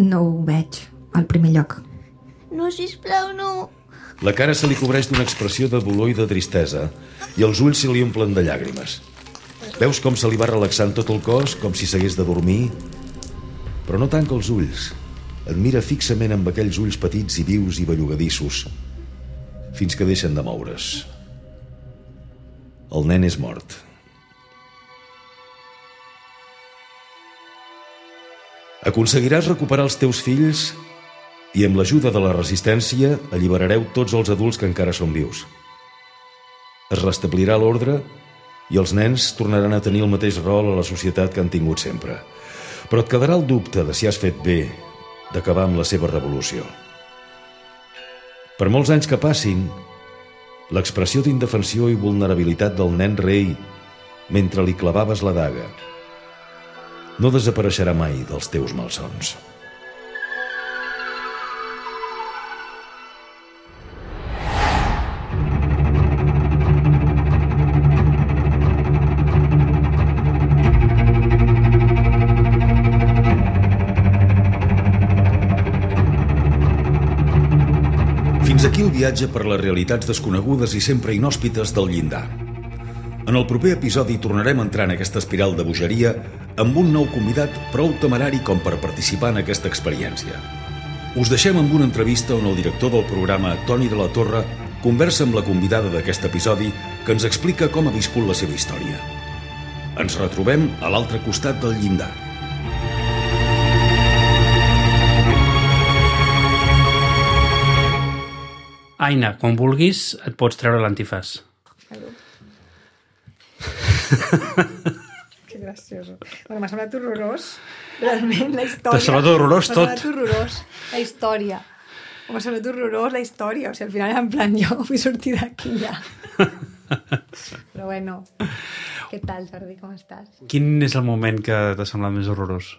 No ho veig, al primer lloc. No, sisplau, no. La cara se li cobreix d'una expressió de dolor i de tristesa i els ulls se li omplen de llàgrimes. Veus com se li va relaxant tot el cos, com si s'hagués de dormir, però no tanca els ulls. Et mira fixament amb aquells ulls petits i vius i bellugadissos, fins que deixen de moure's. El nen és mort. Aconseguiràs recuperar els teus fills i amb l'ajuda de la resistència alliberareu tots els adults que encara són vius. Es restablirà l'ordre i els nens tornaran a tenir el mateix rol a la societat que han tingut sempre. Però et quedarà el dubte de si has fet bé d'acabar amb la seva revolució. Per molts anys que passin, l'expressió d'indefensió i vulnerabilitat del nen rei mentre li clavaves la daga no desapareixerà mai dels teus malsons. Fins aquí el viatge per les realitats desconegudes i sempre inhòspites del llindar. En el proper episodi tornarem a entrar en aquesta espiral de bogeria amb un nou convidat prou temerari com per participar en aquesta experiència. Us deixem amb una entrevista on el director del programa, Toni de la Torre, conversa amb la convidada d'aquest episodi que ens explica com ha viscut la seva història. Ens retrobem a l'altre costat del llindar. Aina, quan vulguis, et pots treure l'antifàs. Que gracioso. Bueno, m'ha semblat horrorós, realment, la història. T'ha semblat horrorós tot? M'ha semblat horrorós, la història. M'ha semblat horrorós la història. O sigui, al final era en plan, jo vull sortir d'aquí ja. Però bueno, què tal, Jordi, com estàs? Quin és el moment que t'ha semblat més horrorós?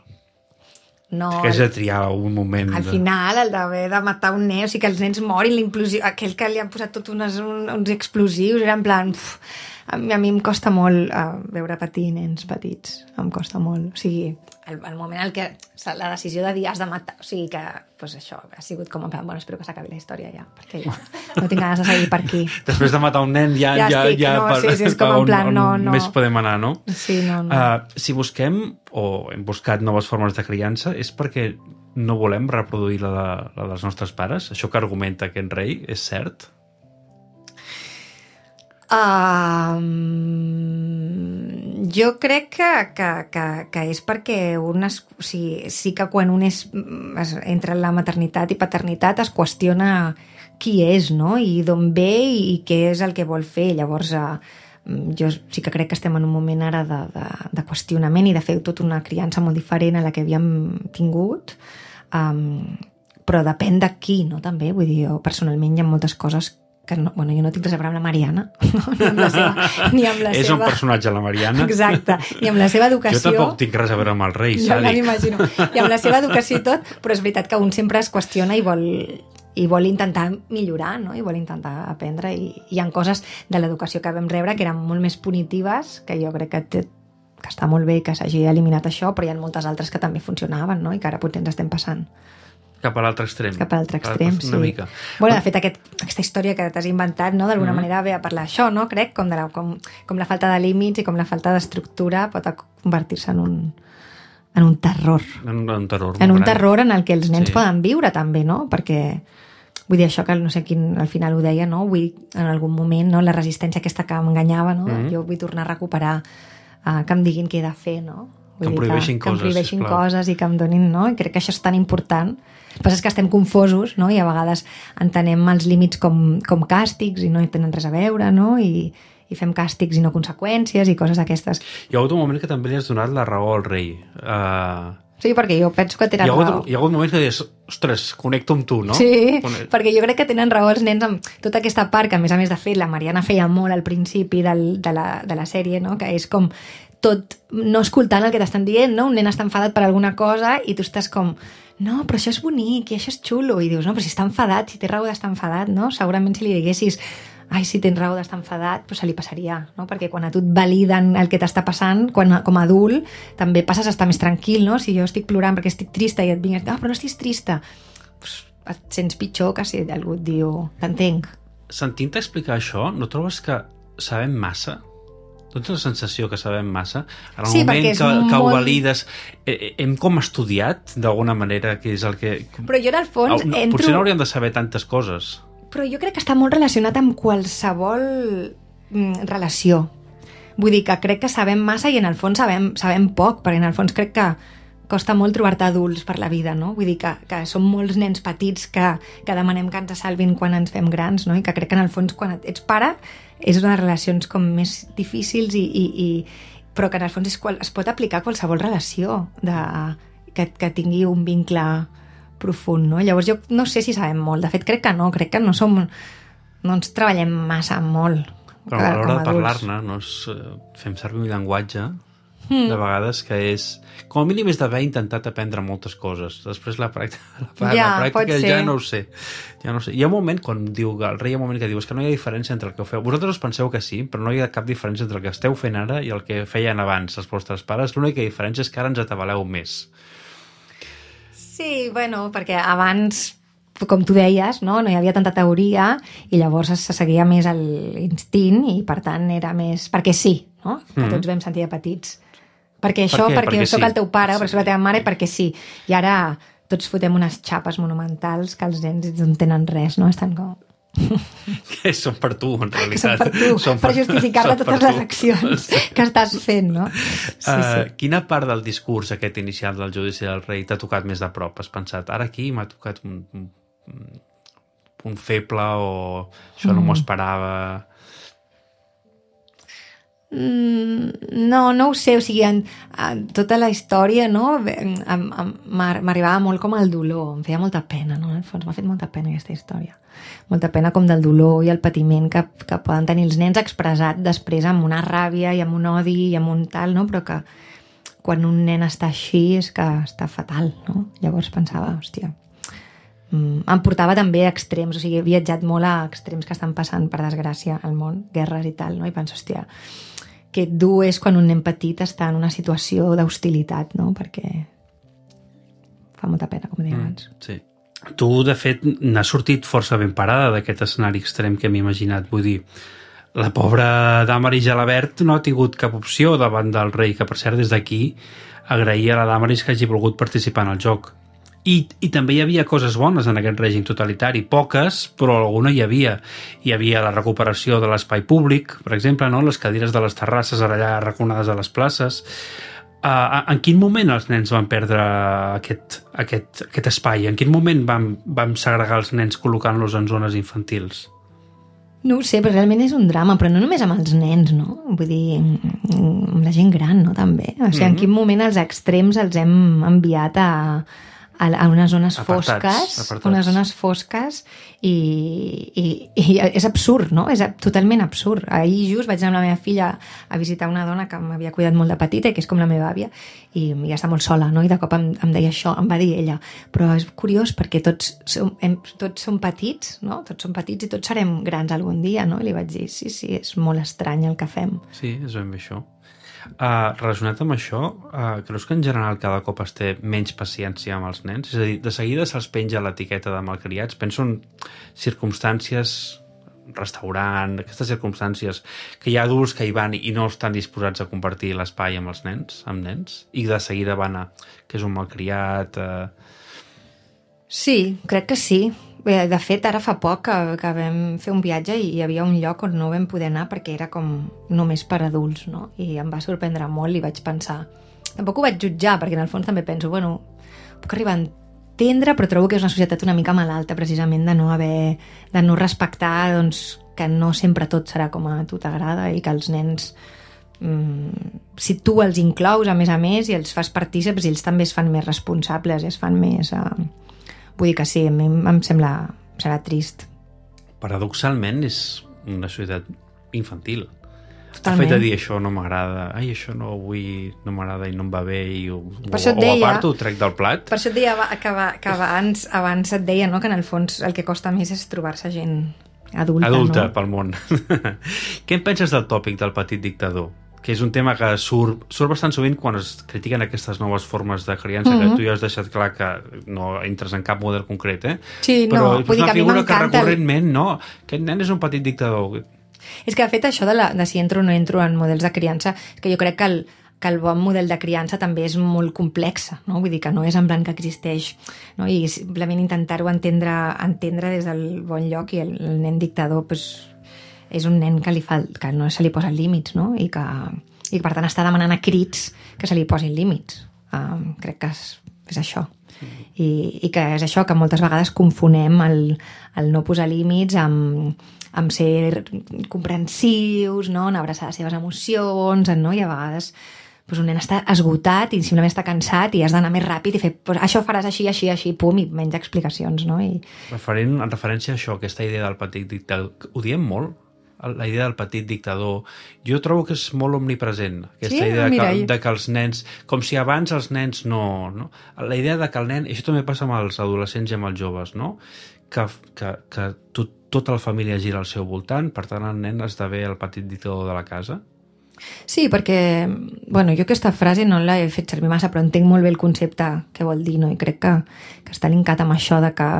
No, que has de triar un moment... Al de... final, el d'haver de matar un nen, o sigui, que els nens morin, l'implosió, aquell que li han posat tot unes, un, uns explosius, era en plan... Uf, a, mi, a mi em costa molt uh, veure patir nens petits, em costa molt. O sigui, el, el moment en què la decisió de dir has de matar, o sigui que, pues això, ha sigut com en plan, bueno, espero que s'acabi la història ja, perquè ja no tinc ganes de seguir per aquí. Després de matar un nen ja... Ja, ja estic, ja no, per, sí, sí, és com en plan, on, no, on no. Més podem anar, no? Sí, no, no. Uh, si busquem, o hem buscat noves formes de criança, és perquè no volem reproduir la, la dels nostres pares? Això que argumenta aquest rei és cert? Um, jo crec que, que, que, que és perquè un es, o sigui, sí que quan un és, es, entra en la maternitat i paternitat es qüestiona qui és, no? I d'on ve i què és el que vol fer. Llavors, uh, jo sí que crec que estem en un moment ara de, de, de qüestionament i de fer tota una criança molt diferent a la que havíem tingut, um, però depèn de qui, no? També, vull dir, jo personalment hi ha moltes coses que no, bueno, jo no tinc res a veure amb la Mariana, no? ni amb la seva... Ni amb la és seva... un personatge, la Mariana. Exacte, ni amb la seva educació... Jo tampoc tinc res a veure amb el rei, jo sàdic. Ja m'imagino. I amb la seva educació i tot, però és veritat que un sempre es qüestiona i vol, i vol intentar millorar, no? I vol intentar aprendre, i hi ha coses de l'educació que vam rebre que eren molt més punitives, que jo crec que, té, que està molt bé que s'hagi eliminat això, però hi ha moltes altres que també funcionaven, no? I que ara potser ens estem passant. Cap a l'altre extrem. Cap a l'altre extrem, sí. Una mica. Bueno, de fet, aquest, aquesta història que t'has inventat, no? D'alguna Mm. manera ve a parlar això, no? Crec, com, de la, com, com la falta de límits i com la falta d'estructura pot convertir-se en un, en un terror. En un, un terror. En un gran. terror en el que els nens Sí. poden viure, també, no? Perquè, vull dir, això que no sé quin, al final ho deia, no? Vull, en algun moment, no? La resistència aquesta que m'enganyava, no? Mm. Jo vull tornar a recuperar, uh, que em diguin què he de fer, no? Que em Vull dir prohibeixin que, coses, que em prohibeixin sisplau. coses i que em donin, no? I crec que això és tan important. El que passa és que estem confosos, no? I a vegades entenem els límits com, com càstigs i no hi tenen res a veure, no? I, i fem càstigs i no conseqüències i coses d'aquestes. Hi ha hagut un moment que també li has donat la raó al rei. Uh, Sí, perquè jo penso que hi, tenen ha hagut, raó. hi ha hagut moments que dius, ostres, connecto amb tu, no? Sí, Cone- perquè jo crec que tenen raó els nens amb tota aquesta part que, a més a més, de fet, la Mariana feia molt al principi del, de, la, de la sèrie, no? Que és com tot no escoltant el que t'estan dient, no? Un nen està enfadat per alguna cosa i tu estàs com, no, però això és bonic i això és xulo. I dius, no, però si està enfadat, si té raó d'estar enfadat, no? Segurament si li diguessis, ai, si tens raó d'estar enfadat, però se li passaria, no? Perquè quan a tu et validen el que t'està passant, quan, com a adult, també passes a estar més tranquil, no? Si jo estic plorant perquè estic trista i et vingues, ah, però no estiguis trista, pues, et sents pitjor que si algú et diu, t'entenc. Sentint-te explicar això, no trobes que sabem massa? No tens la sensació que sabem massa? En el Sí, moment perquè que, és que ho molt- valides, eh, hem com estudiat, d'alguna manera, que és el que... Però jo, en el fons, Ah, no, entro... Potser no hauríem de saber tantes coses. Però jo crec que està molt relacionat amb qualsevol mm, relació. Vull dir que crec que sabem massa i en el fons sabem, sabem poc, perquè en el fons crec que costa molt trobar-te adults per la vida, no? Vull dir que, que som molts nens petits que, que demanem que ens salvin quan ens fem grans, no? I que crec que en el fons quan ets pare és una de les relacions com més difícils i, i, i però que en el fons és qual, es pot aplicar a qualsevol relació de, que, que tingui un vincle profund, no? Llavors jo no sé si sabem molt, de fet crec que no, crec que no som, no ens treballem massa molt. Però a l'hora de parlar-ne, no és, eh, fem servir un llenguatge Mm. de vegades que és... Com a mínim és d'haver intentat aprendre moltes coses. Després la pràctica, la, Ja, la pot pràctica ser. ja no ho sé. Ja no ho sé. Hi ha un moment quan diu el rei, hi ha un moment que diu és que no hi ha diferència entre el que feu. Vosaltres us penseu que sí, però no hi ha cap diferència entre el que esteu fent ara i el que feien abans els vostres pares. L'única diferència és que ara ens atabaleu més. Sí, bueno, perquè abans, com tu deies, no, no hi havia tanta teoria i llavors se seguia més l'instint i per tant era més... Perquè sí, no? Que Mm. tots vam sentir de petits. Perquè això, Per què? perquè, Perquè jo sóc sí. el teu pare, Sí. perquè soc la teva mare, perquè sí. I ara tots fotem unes xapes monumentals que els nens no tenen res, no? Estan com... Que són per tu, en Que són realitat. per tu, Són per justificar-ne són per totes les tu. accions que estàs fent, no? Sí, Uh, sí. quina part del discurs aquest inicial del judici del rei t'ha tocat més de prop? Has pensat, ara aquí m'ha tocat un, un, un punt feble o això no m'ho Mm. esperava... Mm, no, no ho sé, o sigui, en, en tota la història, no, em- em- m'ar- m'arribava molt com el dolor, em feia molta pena, no, en el fons m'ha fet molta pena aquesta història, molta pena com del dolor i el patiment que, que poden tenir els nens expressat després amb una ràbia i amb un odi i amb un tal, no, però que quan un nen està així és que està fatal, no, llavors pensava, hòstia, mm, em portava també a extrems, o sigui, he viatjat molt a extrems que estan passant, per desgràcia, al món, guerres i tal, no, i penso, hòstia, que dur és quan un nen petit està en una situació d'hostilitat, no? Perquè fa molta pena, com deia abans. Sí. Tu, de fet, n'has sortit força ben parada d'aquest escenari extrem que m'he imaginat. Vull dir, la pobra Damaris Gelabert no ha tingut cap opció davant del rei, que per cert des d'aquí agrair a la Damaris que hagi volgut participar en el joc. I, I també hi havia coses bones en aquest règim totalitari, poques, però alguna hi havia. Hi havia la recuperació de l'espai públic, per exemple, no? Les cadires de les terrasses allà arraconades a les places. Uh, en quin moment els nens van perdre aquest, aquest, aquest espai? En quin moment vam, vam segregar els nens col·locant-los en zones infantils? No ho sé, però realment és un drama, però no només amb els nens, no? Vull dir, amb la gent gran, no? També. O sigui, en quin moment els extrems els hem enviat a, a, a unes zones Apartats, fosques, apartats. unes zones fosques i, i, i és absurd, no? És totalment absurd. Ahir just vaig anar amb la meva filla a visitar una dona que m'havia cuidat molt de petita i que és com la meva àvia i ja està molt sola, no? I de cop em, em deia això, em va dir ella, però és curiós perquè tots som, hem, tots som petits, no? Tots som petits i tots serem grans algun dia, no? I li vaig dir, sí, sí, és molt estrany el que fem. Sí, és ben bé això. Uh, relacionat amb això, uh, creus que en general cada cop es té menys paciència amb els nens? És a dir, de seguida se'ls penja l'etiqueta de malcriats. Penso en circumstàncies, restaurant, aquestes circumstàncies que hi ha adults que hi van i no estan disposats a compartir l'espai amb els nens, amb nens, i de seguida van a que és un malcriat... Uh... Sí, crec que sí. Bé, de fet, ara fa poc que, que vam fer un viatge i hi havia un lloc on no vam poder anar perquè era com només per adults, no? I em va sorprendre molt i vaig pensar... Tampoc ho vaig jutjar, perquè en el fons també penso, bueno, puc arribar a entendre, però trobo que és una societat una mica malalta, precisament, de no haver... de no respectar, doncs, que no sempre tot serà com a tu t'agrada i que els nens... Mmm, si tu els inclous, a més a més, i els fas partíceps, ells també es fan més responsables i es fan més... Uh... Vull dir que sí, a mi em sembla... serà trist. Paradoxalment és una societat infantil. Totalment. El fet de dir això no m'agrada, ai, això no vull, no m'agrada i no em va bé i ho, per o, deia, o aparto, ho trec del plat. Per això et deia que, que abans, abans et deia, no?, que en el fons el que costa més és trobar-se gent adulta. Adulta, no? pel món. Què en penses del tòpic del petit dictador? Que és un tema que surt, surt bastant sovint quan es critiquen aquestes noves formes de criança, mm-hmm. que tu ja has deixat clar que no entres en cap model concret, eh? Sí, però no, vull dir que a mi m'encanta... que recurrentment, no, aquest nen és un petit dictador. És que, de fet, això de, la, de si entro o no entro en models de criança, és que jo crec que el, que el bon model de criança també és molt complex, no? Vull dir que no és en blanc que existeix, no? I simplement intentar-ho entendre, entendre des del bon lloc i el, el nen dictador, pues, és un nen que, li fa, que no se li posen límits, no? I que, i que per tant està demanant a crits que se li posin límits. Um, crec que és, és això. I, I que és això, que moltes vegades confonem el, el no posar límits amb, amb ser comprensius, no? En abraçar les seves emocions, no? I a vegades pues, un nen està esgotat i simplement està cansat i has d'anar més ràpid i fer, pues, això faràs així, així, així, pum, i menys explicacions, no? I... Referent, en referència a això, aquesta idea del petit dictador, ho diem molt? La idea del petit dictador, jo trobo que és molt omnipresent, aquesta sí? idea Mira, que, de que els nens, com si abans els nens no, no... La idea de que el nen, i això també passa amb els adolescents i amb els joves, no? Que, que, que tot, tota la família gira al seu voltant, per tant el nen esdevé el petit dictador de la casa. Sí, perquè, bueno, jo aquesta frase no l'he fet servir massa, però entenc molt bé el concepte que vol dir, no? I crec que, que està linkat amb això de que,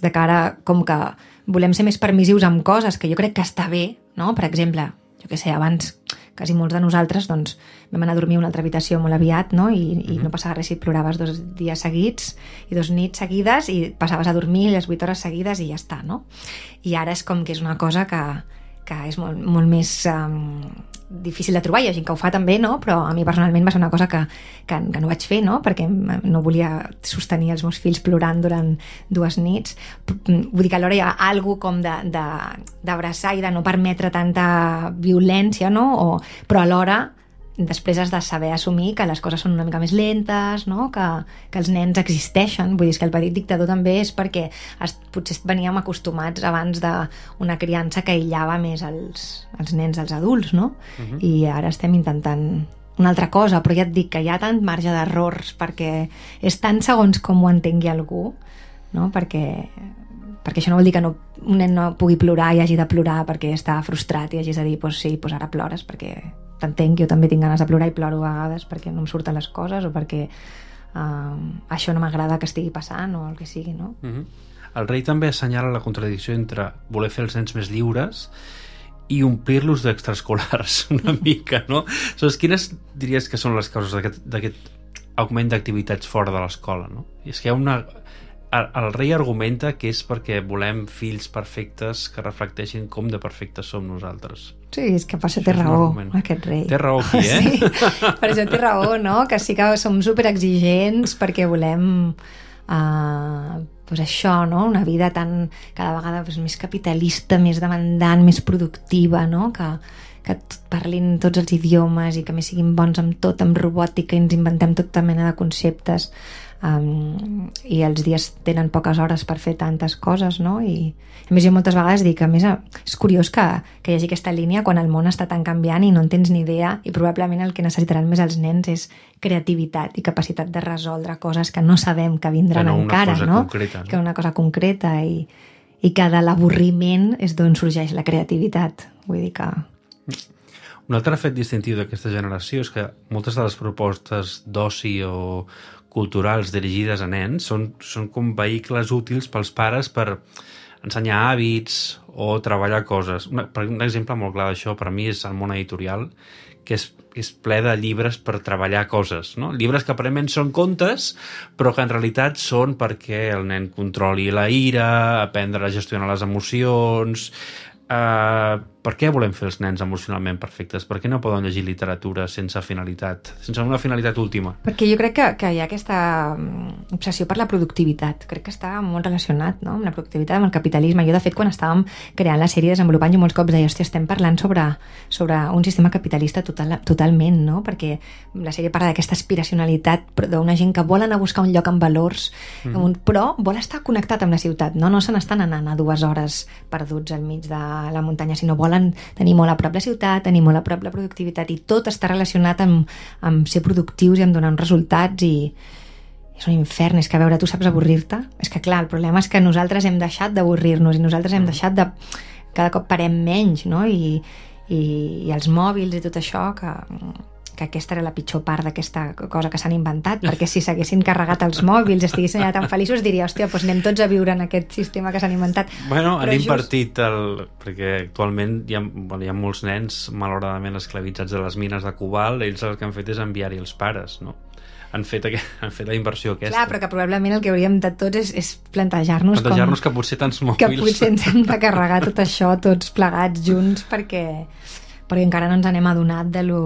de que ara com que volem ser més permissius amb coses que jo crec que està bé, no? Per exemple, jo què sé, abans quasi molts de nosaltres doncs, vam anar a dormir a una altra habitació molt aviat, no? I, i no passava res si ploraves dos dies seguits i dos nits seguides i passaves a dormir les vuit hores seguides i ja està, no? I ara és com que és una cosa que, que és molt, molt més um, difícil de trobar. Hi ha gent que ho fa també, no? Però a mi personalment va ser una cosa que, que, que no vaig fer, no? Perquè no volia sostenir els meus fills plorant durant dues nits. Vull dir que alhora hi ha alguna com d'abraçar i de no permetre tanta violència, no? O, però alhora després has de saber assumir que les coses són una mica més lentes, no? que, que els nens existeixen. Vull dir que el petit dictador també és perquè es, potser veníem acostumats abans d'una criança que aïllava més els, els nens dels adults, no? Uh-huh. I ara estem intentant una altra cosa, però ja et dic que hi ha tant marge d'errors perquè és tant segons com ho entengui algú, no? Perquè, perquè això no vol dir que no, un nen no pugui plorar i hagi de plorar perquè està frustrat i hagis de dir, pues sí, pues ara plores perquè t'entenc, jo també tinc ganes de plorar i ploro a vegades perquè no em surten les coses o perquè uh, això no m'agrada que estigui passant o el que sigui, no? Uh-huh. El rei també assenyala la contradicció entre voler fer els nens més lliures i omplir-los d'extraescolars una mica, no? Aleshores, quines diries que són les causes d'aquest augment d'activitats fora de l'escola, no? I és que hi ha una... El, el rei argumenta que és perquè volem fills perfectes que reflecteixin com de perfectes som nosaltres. Sí, és que per això té raó, aquest rei. Té raó aquí, eh? Sí, per això té raó, no? Que sí que som superexigents perquè volem uh, pues això, no? Una vida tan, cada vegada pues, més capitalista, més demandant, més productiva, no? Que, que parlin tots els idiomes i que més siguin bons amb tot, amb robòtica, i ens inventem tota mena de conceptes. um, i els dies tenen poques hores per fer tantes coses, no? I a més jo moltes vegades dic que a més és curiós que, que hi hagi aquesta línia quan el món està tan canviant i no en tens ni idea, i probablement el que necessitaran més els nens és creativitat i capacitat de resoldre coses que no sabem que vindran que no encara, una cosa no? Concreta, no? Que una cosa concreta i, i que de l'avorriment és d'on sorgeix la creativitat. Vull dir que... Un altre fet distintiu d'aquesta generació és que moltes de les propostes d'oci o culturals dirigides a nens són, són com vehicles útils pels pares per ensenyar hàbits o treballar coses. Una, per un exemple molt clar d'això per a mi és el món editorial, que és, és ple de llibres per treballar coses, no? Llibres que aparentment són contes, però que en realitat són perquè el nen controli la ira, aprendre a gestionar les emocions... Uh, per què volem fer els nens emocionalment perfectes? Per què no poden llegir literatura sense finalitat, sense una finalitat última? Perquè jo crec que, que hi ha aquesta obsessió per la productivitat. Crec que està molt relacionat, no?, amb la productivitat, amb el capitalisme. Jo, de fet, quan estàvem creant la sèrie, desenvolupant, jo molts cops deia, hòstia, estem parlant sobre, sobre un sistema capitalista total, totalment, no? Perquè la sèrie parla d'aquesta aspiracionalitat d'una gent que vol anar a buscar un lloc amb valors, mm. un, però vol estar connectat amb la ciutat, no? No se n'estan anant a dues hores perduts al mig de la muntanya, sinno volen tenir molt a prop la ciutat, tenir molt a prop la productivitat, i tot està relacionat amb, amb ser productius i amb donar uns resultats, i és un infern. És que, a veure, tu saps avorrir-te? És que, clar, el problema és que nosaltres hem deixat d'avorrir-nos i nosaltres hem deixat de... cada cop parem menys, no? I, i, i els mòbils i tot això, que, que aquesta era la pitjor part d'aquesta cosa que s'han inventat, perquè si s'haguessin carregat els mòbils, estiguessin allà tan feliços, diria, hòstia, doncs anem tots a viure en aquest sistema que s'han inventat. Bueno, però han just... invertit el... perquè actualment hi ha, bueno, hi ha molts nens malauradament esclavitzats de les mines de cobalt, ells el que han fet és enviar-hi els pares, no? Han fet, aqu... han fet la inversió aquesta. Clar, però que probablement el que hauríem de tots és, és plantejar-nos plantejar-nos com... que potser tants mòbils... que potser ens hem de carregar tot això tots plegats junts, perquè, perquè encara no ens n'hem adonat de lo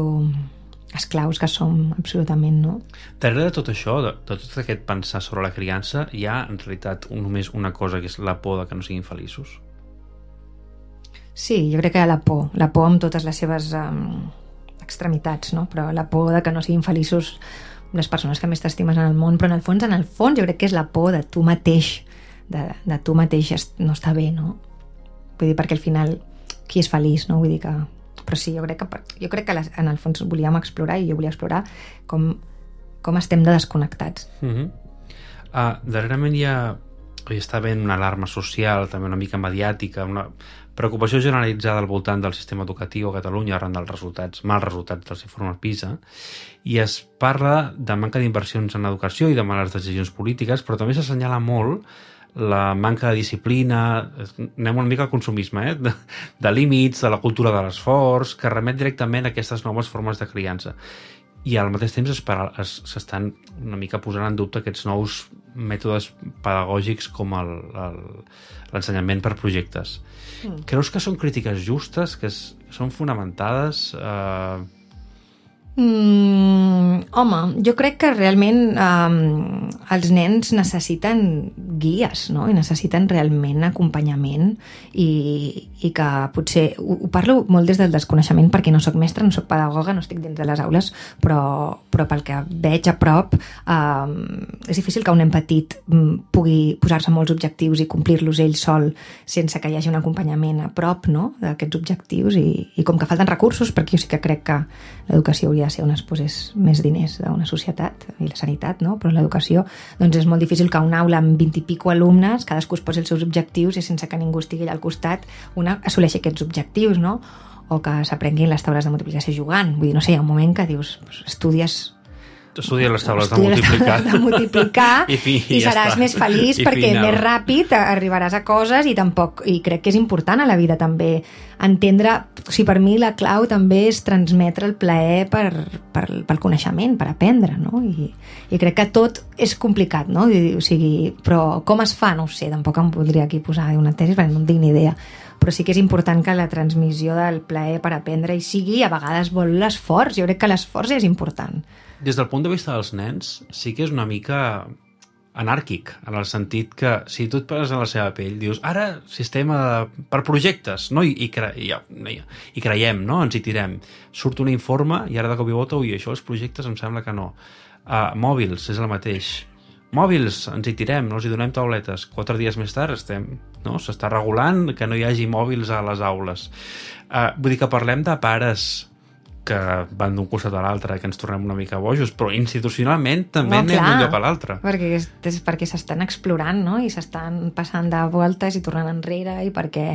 esclaus que som, absolutament, no? Darrere de tot això, de, de tot aquest pensar sobre la criança, hi ha en realitat un, només una cosa, que és la por de que no siguin feliços? Sí, jo crec que hi ha la por, la por amb totes les seves um, extremitats, no? Però la por de que no siguin feliços les persones que més t'estimes en el món, però en el fons, en el fons, jo crec que és la por de tu mateix, de, de tu mateix no està bé, no? Vull dir, perquè al final, qui és feliç, no? Vull dir que... Però sí, jo crec que, jo crec que en el fons volíem explorar, i jo volia explorar com, com estem de desconnectats. Uh-huh. uh, darrerament hi ha... hi està havent una alarma social, també una mica mediàtica, una preocupació generalitzada al voltant del sistema educatiu a Catalunya arran dels resultats, mals resultats dels informes PISA, i es parla de manca d'inversions en educació i de males decisions polítiques, però també s'assenyala molt la manca de disciplina, anem una mica al consumisme, eh? de, de límits, de la cultura de l'esforç, que remet directament a aquestes noves formes de criança. I al mateix temps s'estan una mica posant en dubte aquests nous mètodes pedagògics com el, el, l'ensenyament per projectes. Mm. Creus que són crítiques justes, que, es, que són fonamentades? Eh... Mm, home, jo crec que realment um, els nens necessiten guies, no? I necessiten realment acompanyament, i, i que potser ho, ho parlo molt des del desconeixement, perquè no sóc mestra, no sóc pedagoga, no estic dins de les aules, però, però pel que veig a prop um, és difícil que un nen petit um, pugui posar-se molts objectius i complir-los ell sol sense que hi hagi un acompanyament a prop, no?, d'aquests objectius, i, i com que falten recursos, perquè jo sí que crec que l'educació hauria de ser on es posés més diners d'una societat, i la sanitat, no? Però l'educació, doncs és molt difícil que una aula amb vint i pico alumnes, cadascú es posi els seus objectius i sense que ningú estigui allà al costat, una assoleixi aquests objectius, no? O que s'aprenguin les taules de multiplicació jugant. Vull dir, no sé, hi ha un moment que dius, pues, estudies... Estudia les taules Estudia de multiplicar, de multiplicar I, fi, i, i ja seràs està. més feliç, I perquè final. més ràpid arribaràs a coses, i tampoc, i crec que és important a la vida també entendre, o sigui, per mi la clau també és transmetre el plaer per, per, pel coneixement, per aprendre, no? I, i crec que tot és complicat, no? I, o sigui, però com es fa? No ho sé, tampoc em podria aquí posar una tesi perquè no en tinc ni idea, però sí que és important que la transmissió del plaer per aprendre hi sigui, i a vegades vol l'esforç. Jo crec que l'esforç és important. Des del punt de vista dels nens, sí que és una mica anàrquic, en el sentit que si tu et poses en la seva pell, dius, ara sistema de, per projectes, no? I, i, cre, i, i, i creiem, no? Ens hi tirem. Surt un informe i ara de cop i volta, ui, això els projectes em sembla que no. Uh, mòbils, és el mateix. mòbils, ens hi tirem, no els hi donem tauletes. Quatre dies més tard estem, no? S'està regulant que no hi hagi mòbils a les aules. Uh, vull dir que parlem de pares que van d'un costat a l'altre, que ens tornem una mica bojos, però institucionalment també No, anem clar, d'un lloc a l'altre. Perquè, és, és perquè s'estan explorant, no? I s'estan passant de voltes i tornant enrere i perquè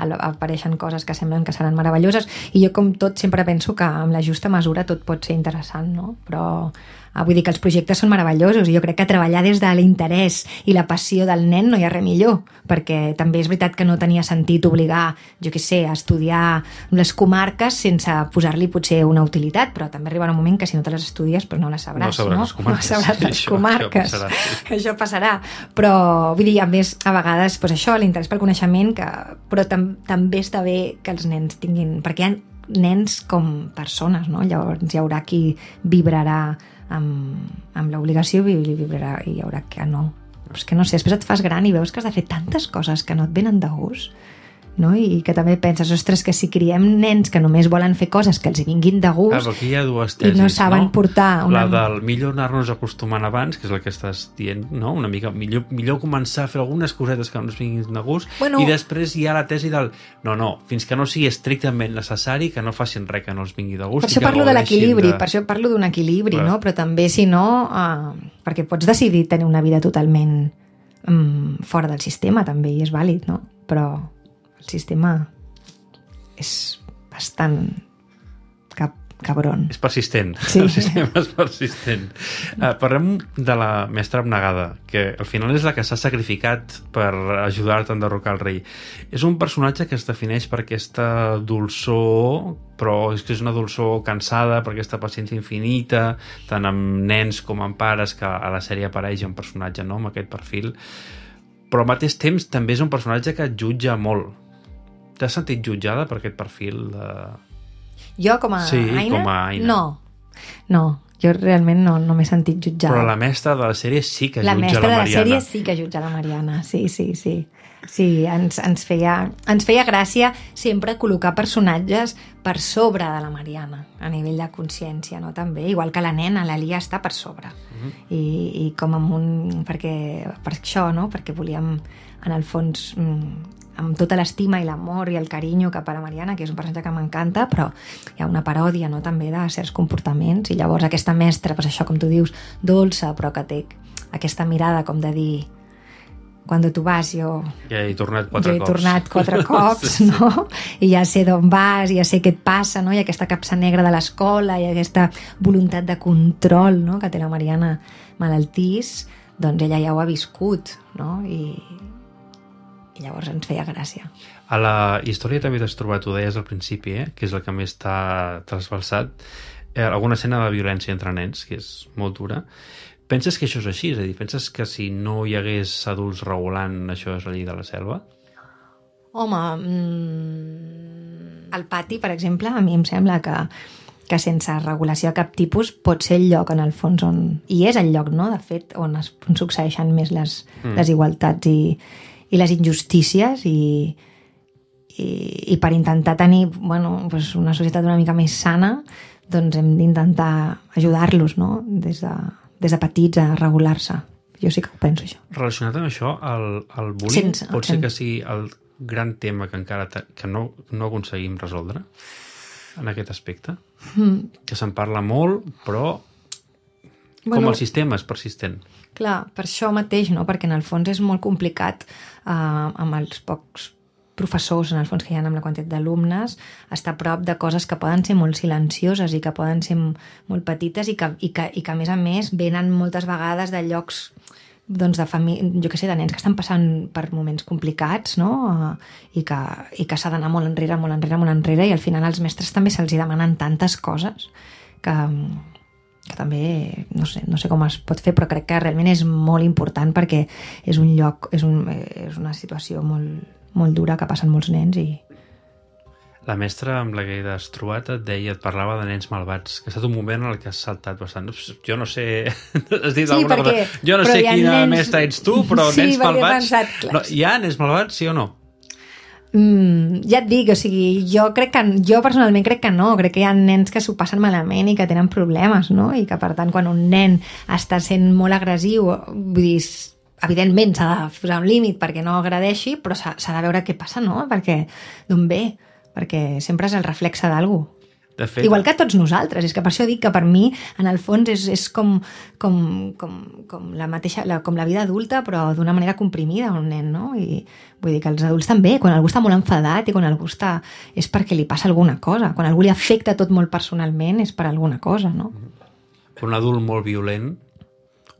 al- apareixen coses que semblen que seran meravelloses. I jo, com tot, sempre penso que amb la justa mesura tot pot ser interessant, no? Però ah, vull dir que els projectes són meravellosos i jo crec que treballar des de l'interès i la passió del nen no hi ha res millor, perquè també és veritat que no tenia sentit obligar, jo què sé, a estudiar les comarques sense posar-li potser una utilitat, però també arribarà un moment que si no te les estudies doncs no les sabràs, No sabràs no? les comarques. No sabràs les Això- comarques. això passarà, sí. Això passarà. Però, vull dir, a més, a vegades, doncs això, l'interès pel coneixement, que, però tam, també està bé que els nens tinguin... Perquè hi ha nens com persones, no? Llavors hi haurà qui vibrarà amb, amb l'obligació i vibrarà, i hi haurà que no. Però és que no sé, després et fas gran i veus que has de fer tantes coses que no et venen de gust, no? I que també penses, ostres, que si criem nens que només volen fer coses que els hi vinguin de Ah, gust però aquí hi ha dues i tesis, no saben portar una... La del millor anar-nos acostumant abans, que és el que estàs dient, no? Una mica millor, millor començar a fer algunes cosetes que no ens vinguin de gust, Bueno- i després hi ha la tesi del no, no, fins que no sigui estrictament necessari, que no facin res que no els vingui de gust. Per això i que parlo de gaudeixin l'equilibri, de- per això parlo d'un equilibri, Clar. no? Però també, si no, eh, perquè pots decidir tenir una vida totalment mm, fora del sistema, també, i és vàlid, no? Però el sistema és bastant cap, cabron. És persistent. Sí. El sistema és persistent. Uh, parlem de la mestra abnegada, que al final és la que s'ha sacrificat per ajudar-te a enderrocar el rei. És un personatge que es defineix per aquesta dolçor, però és que és una dolçor cansada, per aquesta paciència infinita, tant amb nens com amb pares, que a la sèrie apareix un personatge, no?, amb aquest perfil. Però al mateix temps també és un personatge que et jutja molt. T'has sentit jutjada per aquest perfil de... Jo, com a Sí, Aina? com a Aina. No, no. Jo realment no, no m'he sentit jutjada. Però la mestra de la sèrie sí que La jutja mestra la de la Mariana. sèrie sí que jutja la Mariana, sí, sí, sí. Sí, ens, ens, feia, ens feia gràcia sempre col·locar personatges per sobre de la Mariana, a nivell de consciència, no? També, igual que la nena, la Lia està per sobre. Mhm. I, i com amb un... Perquè, per això, no? Perquè volíem, en el fons, mm, amb tota l'estima i l'amor i el carinyo cap a la Mariana, que és un personatge que m'encanta, però hi ha una paròdia, no?, també de certs comportaments, i llavors aquesta mestra, doncs això, com tu dius, dolça, però que té aquesta mirada com de dir quan tu vas, jo... Ja he tornat quatre jo he cops. tornat quatre cops, Sí, sí. no? I ja sé d'on vas, i ja sé què et passa, no? I aquesta capsa negra de l'escola, i aquesta voluntat de control, no?, que té la Mariana malaltís, doncs ella ja ho ha viscut, no? I, i llavors ens feia gràcia. A la història també t'has trobat, ho deies al principi, eh? Que és el que més t'ha trasbalsat, eh, alguna escena de violència entre nens, que és molt dura. Penses que això és així? És a dir, penses que si no hi hagués adults regulant, això és la llei de la selva? Home, mm, el pati, per exemple, a mi em sembla que, que sense regulació de cap tipus pot ser el lloc, en el fons, on... I és el lloc, no?, de fet, on es on succeeixen més les Mm. desigualtats i, i les injustícies i, i, i per intentar tenir, bueno, pues una societat una mica més sana, doncs hem d'intentar ajudar-los, no?, des de, des de petits a regular-se. Jo sí que ho penso, això. Relacionat amb això, el, el bullying Sense- pot ser sense- que sigui el gran tema que encara te, que no, no aconseguim resoldre en aquest aspecte? Mm. Que se'n parla molt, però com Bueno, el sistema és persistent. clar, per això mateix, no? Perquè en el fons és molt complicat eh, amb els pocs professors, en el fons, que hi ha amb la quantitat d'alumnes, estar a prop de coses que poden ser molt silencioses i que poden ser molt petites i que, i que, i que a més a més, venen moltes vegades de llocs, doncs, de família, jo què sé, de nens que estan passant per moments complicats, no? Uh, i que, i que s'ha d'anar molt enrere, molt enrere, molt enrere, i al final als mestres també se'ls hi demanen tantes coses que, que també no sé, no sé com es pot fer, però crec que realment és molt important perquè és un lloc, és, un, és una situació molt, molt dura que passen molts nens i... La mestra amb la que t'has trobat et deia, et parlava de nens malvats, que ha estat un moment en el que has saltat bastant. Jo no sé... Has dit Sí, alguna perquè- cosa. Jo no però sé hi ha quina nens- mestra ets tu, però Sí, nens perquè he malvats... pensat, clar. No, hi ha nens malvats, sí o no? Mm, ja et dic, o sigui, jo crec que jo personalment crec que no, crec que hi ha nens que s'ho passen malament i que tenen problemes, no? I que per tant quan un nen està sent molt agressiu, vull dir, evidentment s'ha de posar un límit perquè no agredeixi, però s'ha, s'ha de veure què passa, no? Perquè d'on ve, perquè sempre és el reflexe d'algú. De fet, igual que tots nosaltres, és que per això dic que per mi en el fons és, és com, com, com, com, la mateixa, la, com la vida adulta però d'una manera comprimida un nen, no? I vull dir que els adults també, quan algú està molt enfadat i quan algú està, és perquè li passa alguna cosa, quan algú li afecta tot molt personalment és per alguna cosa, no? Un adult molt violent,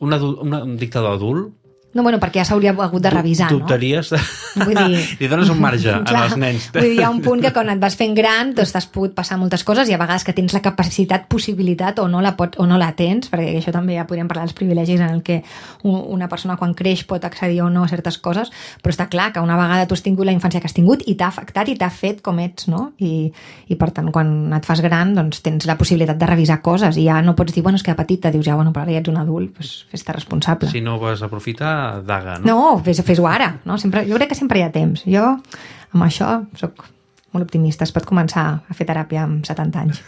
un, adult, un, un dictador adult. No, bueno, perquè ja s'hauria hagut de revisar, no? Dubtaries de... Vull dir... Li dones un marge Clar, als nens. Vull dir, hi ha un punt que quan et vas fent gran doncs t'has pogut passar moltes coses i a vegades que tens la capacitat, possibilitat o no la, pot, o no la tens, perquè això també ja podríem parlar dels privilegis en el que una persona quan creix pot accedir o no a certes coses, però està clar que una vegada tu has tingut la infància que has tingut i t'ha afectat i t'ha fet com ets, no? I, i per tant, quan et fas gran doncs tens la possibilitat de revisar coses i ja no pots dir, bueno, és que de petita dius, ja, bueno, però ara ja ets un adult, doncs fes-te responsable. Si no vas aprofitar, daga, no? No, fes, fes-ho ara, no? Sempre, jo crec que sempre hi ha temps. Jo, amb això, sóc molt optimista. Es pot començar a fer teràpia amb setanta anys.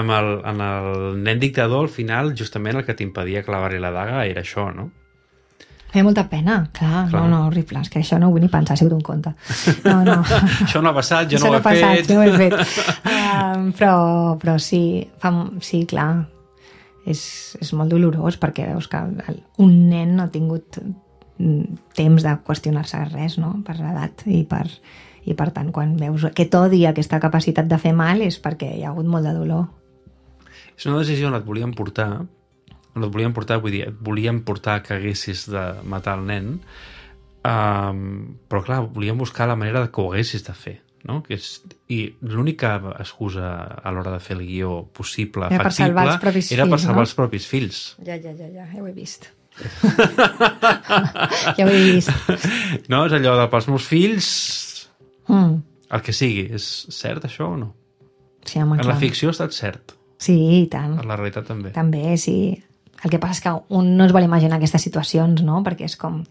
amb el, en el nen dictador, al final, justament el que t'impedia clavar-hi la daga era això, no? Feia molta pena, clar, clar. No, no, horrible. És que això no ho vull ni pensar, ha sigut un conte. No, no. Això no ha passat, jo no, no ho he passat, fet. Jo no ho he fet. Um, però, però sí, fa, sí, clar, és, és molt dolorós perquè veus que un nen no ha tingut temps de qüestionar-se res, no? Per l'edat i per, i per tant quan veus aquest odi, aquesta capacitat de fer mal és perquè hi ha hagut molt de dolor. És una decisió on et volien portar on et volien portar, vull dir, et volien portar que haguessis de matar el nen, um, però clar, volien buscar la manera que ho haguessis de fer, no? Que és, i l'única excusa a l'hora de fer el guió possible, era factible, per era fills, per salvar no? els propis fills. Ja, ja, ja, ja, ja ho he vist. Ja ho he vist. No, és allò de pels meus fills mm. el que sigui. És cert això o no? Sí, home, en clar. la ficció ha estat cert. Sí, i tant. En la realitat també. També, sí. El que passa és que un no es vol imaginar aquestes situacions, no? Perquè és com...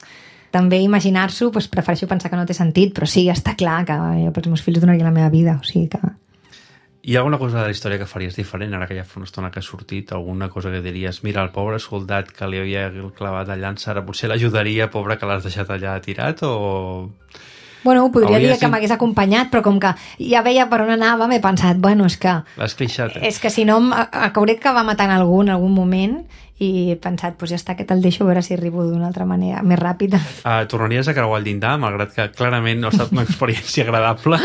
També imaginar-s'ho, doncs prefereixo pensar que no té sentit, però sí, està clar que jo pels meus fills donaria la meva vida, o sigui que... Hi ha alguna cosa de la història que faries diferent ara que ja fa una estona que ha sortit? Alguna cosa que diries, mira, el pobre soldat que li havia clavat la llança ara potser l'ajudaria, pobre que l'has deixat allà tirat, o... Bueno, podria Hauria dir que sigut... m'hagués acompanyat, però com que ja veia per on anava, m'he pensat, bueno, és que... L'has clixat, eh? És que si no, hauré d'acabar matant algú en algun moment i he pensat, doncs ja està, que te'l deixo a veure si arribo d'una altra manera, més ràpida. Uh, tornaries a creuar el llindar, malgrat que clarament no ha estat una experiència agradable?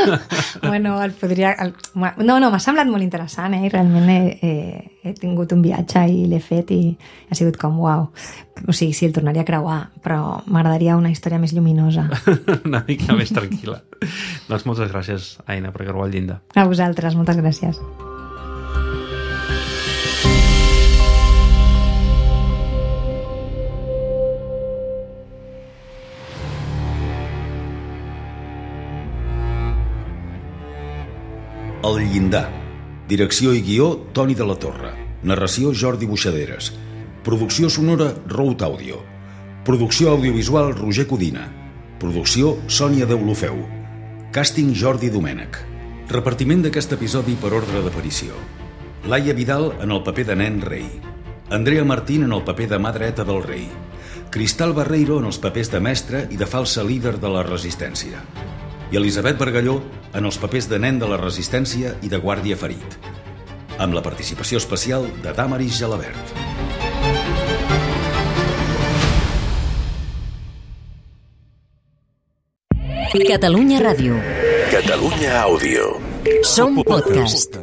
Bueno, el podria... El... No, no, m'ha semblat molt interessant, eh? I realment he, he, he tingut un viatge i l'he fet i ha sigut com, uau. O sigui, sí, el tornaria a creuar, però m'agradaria una història més lluminosa. Una mica més tranquil·la. Doncs moltes gràcies, Aina, per creuar el llindar. A vosaltres, moltes gràcies. El llindar. Direcció i guió, Toni de la Torre. Narració, Jordi Buixaderes. Producció sonora, Rout Audio. Producció audiovisual, Roger Codina. Producció, Sònia Deulofeu. Càsting, Jordi Domènech. Repartiment d'aquest episodi per ordre d'aparició. Laia Vidal en el paper de nen rei. Andrea Martín en el paper de mà dreta del rei. Cristal Barreiro en els papers de mestra i de falsa líder de la resistència. I Elisabet Bargalló en els papers de nen de la resistència i de guàrdia ferit. Amb la participació especial de Damaris Gelabert. Catalunya Ràdio. Catalunya Àudio. Som podcast.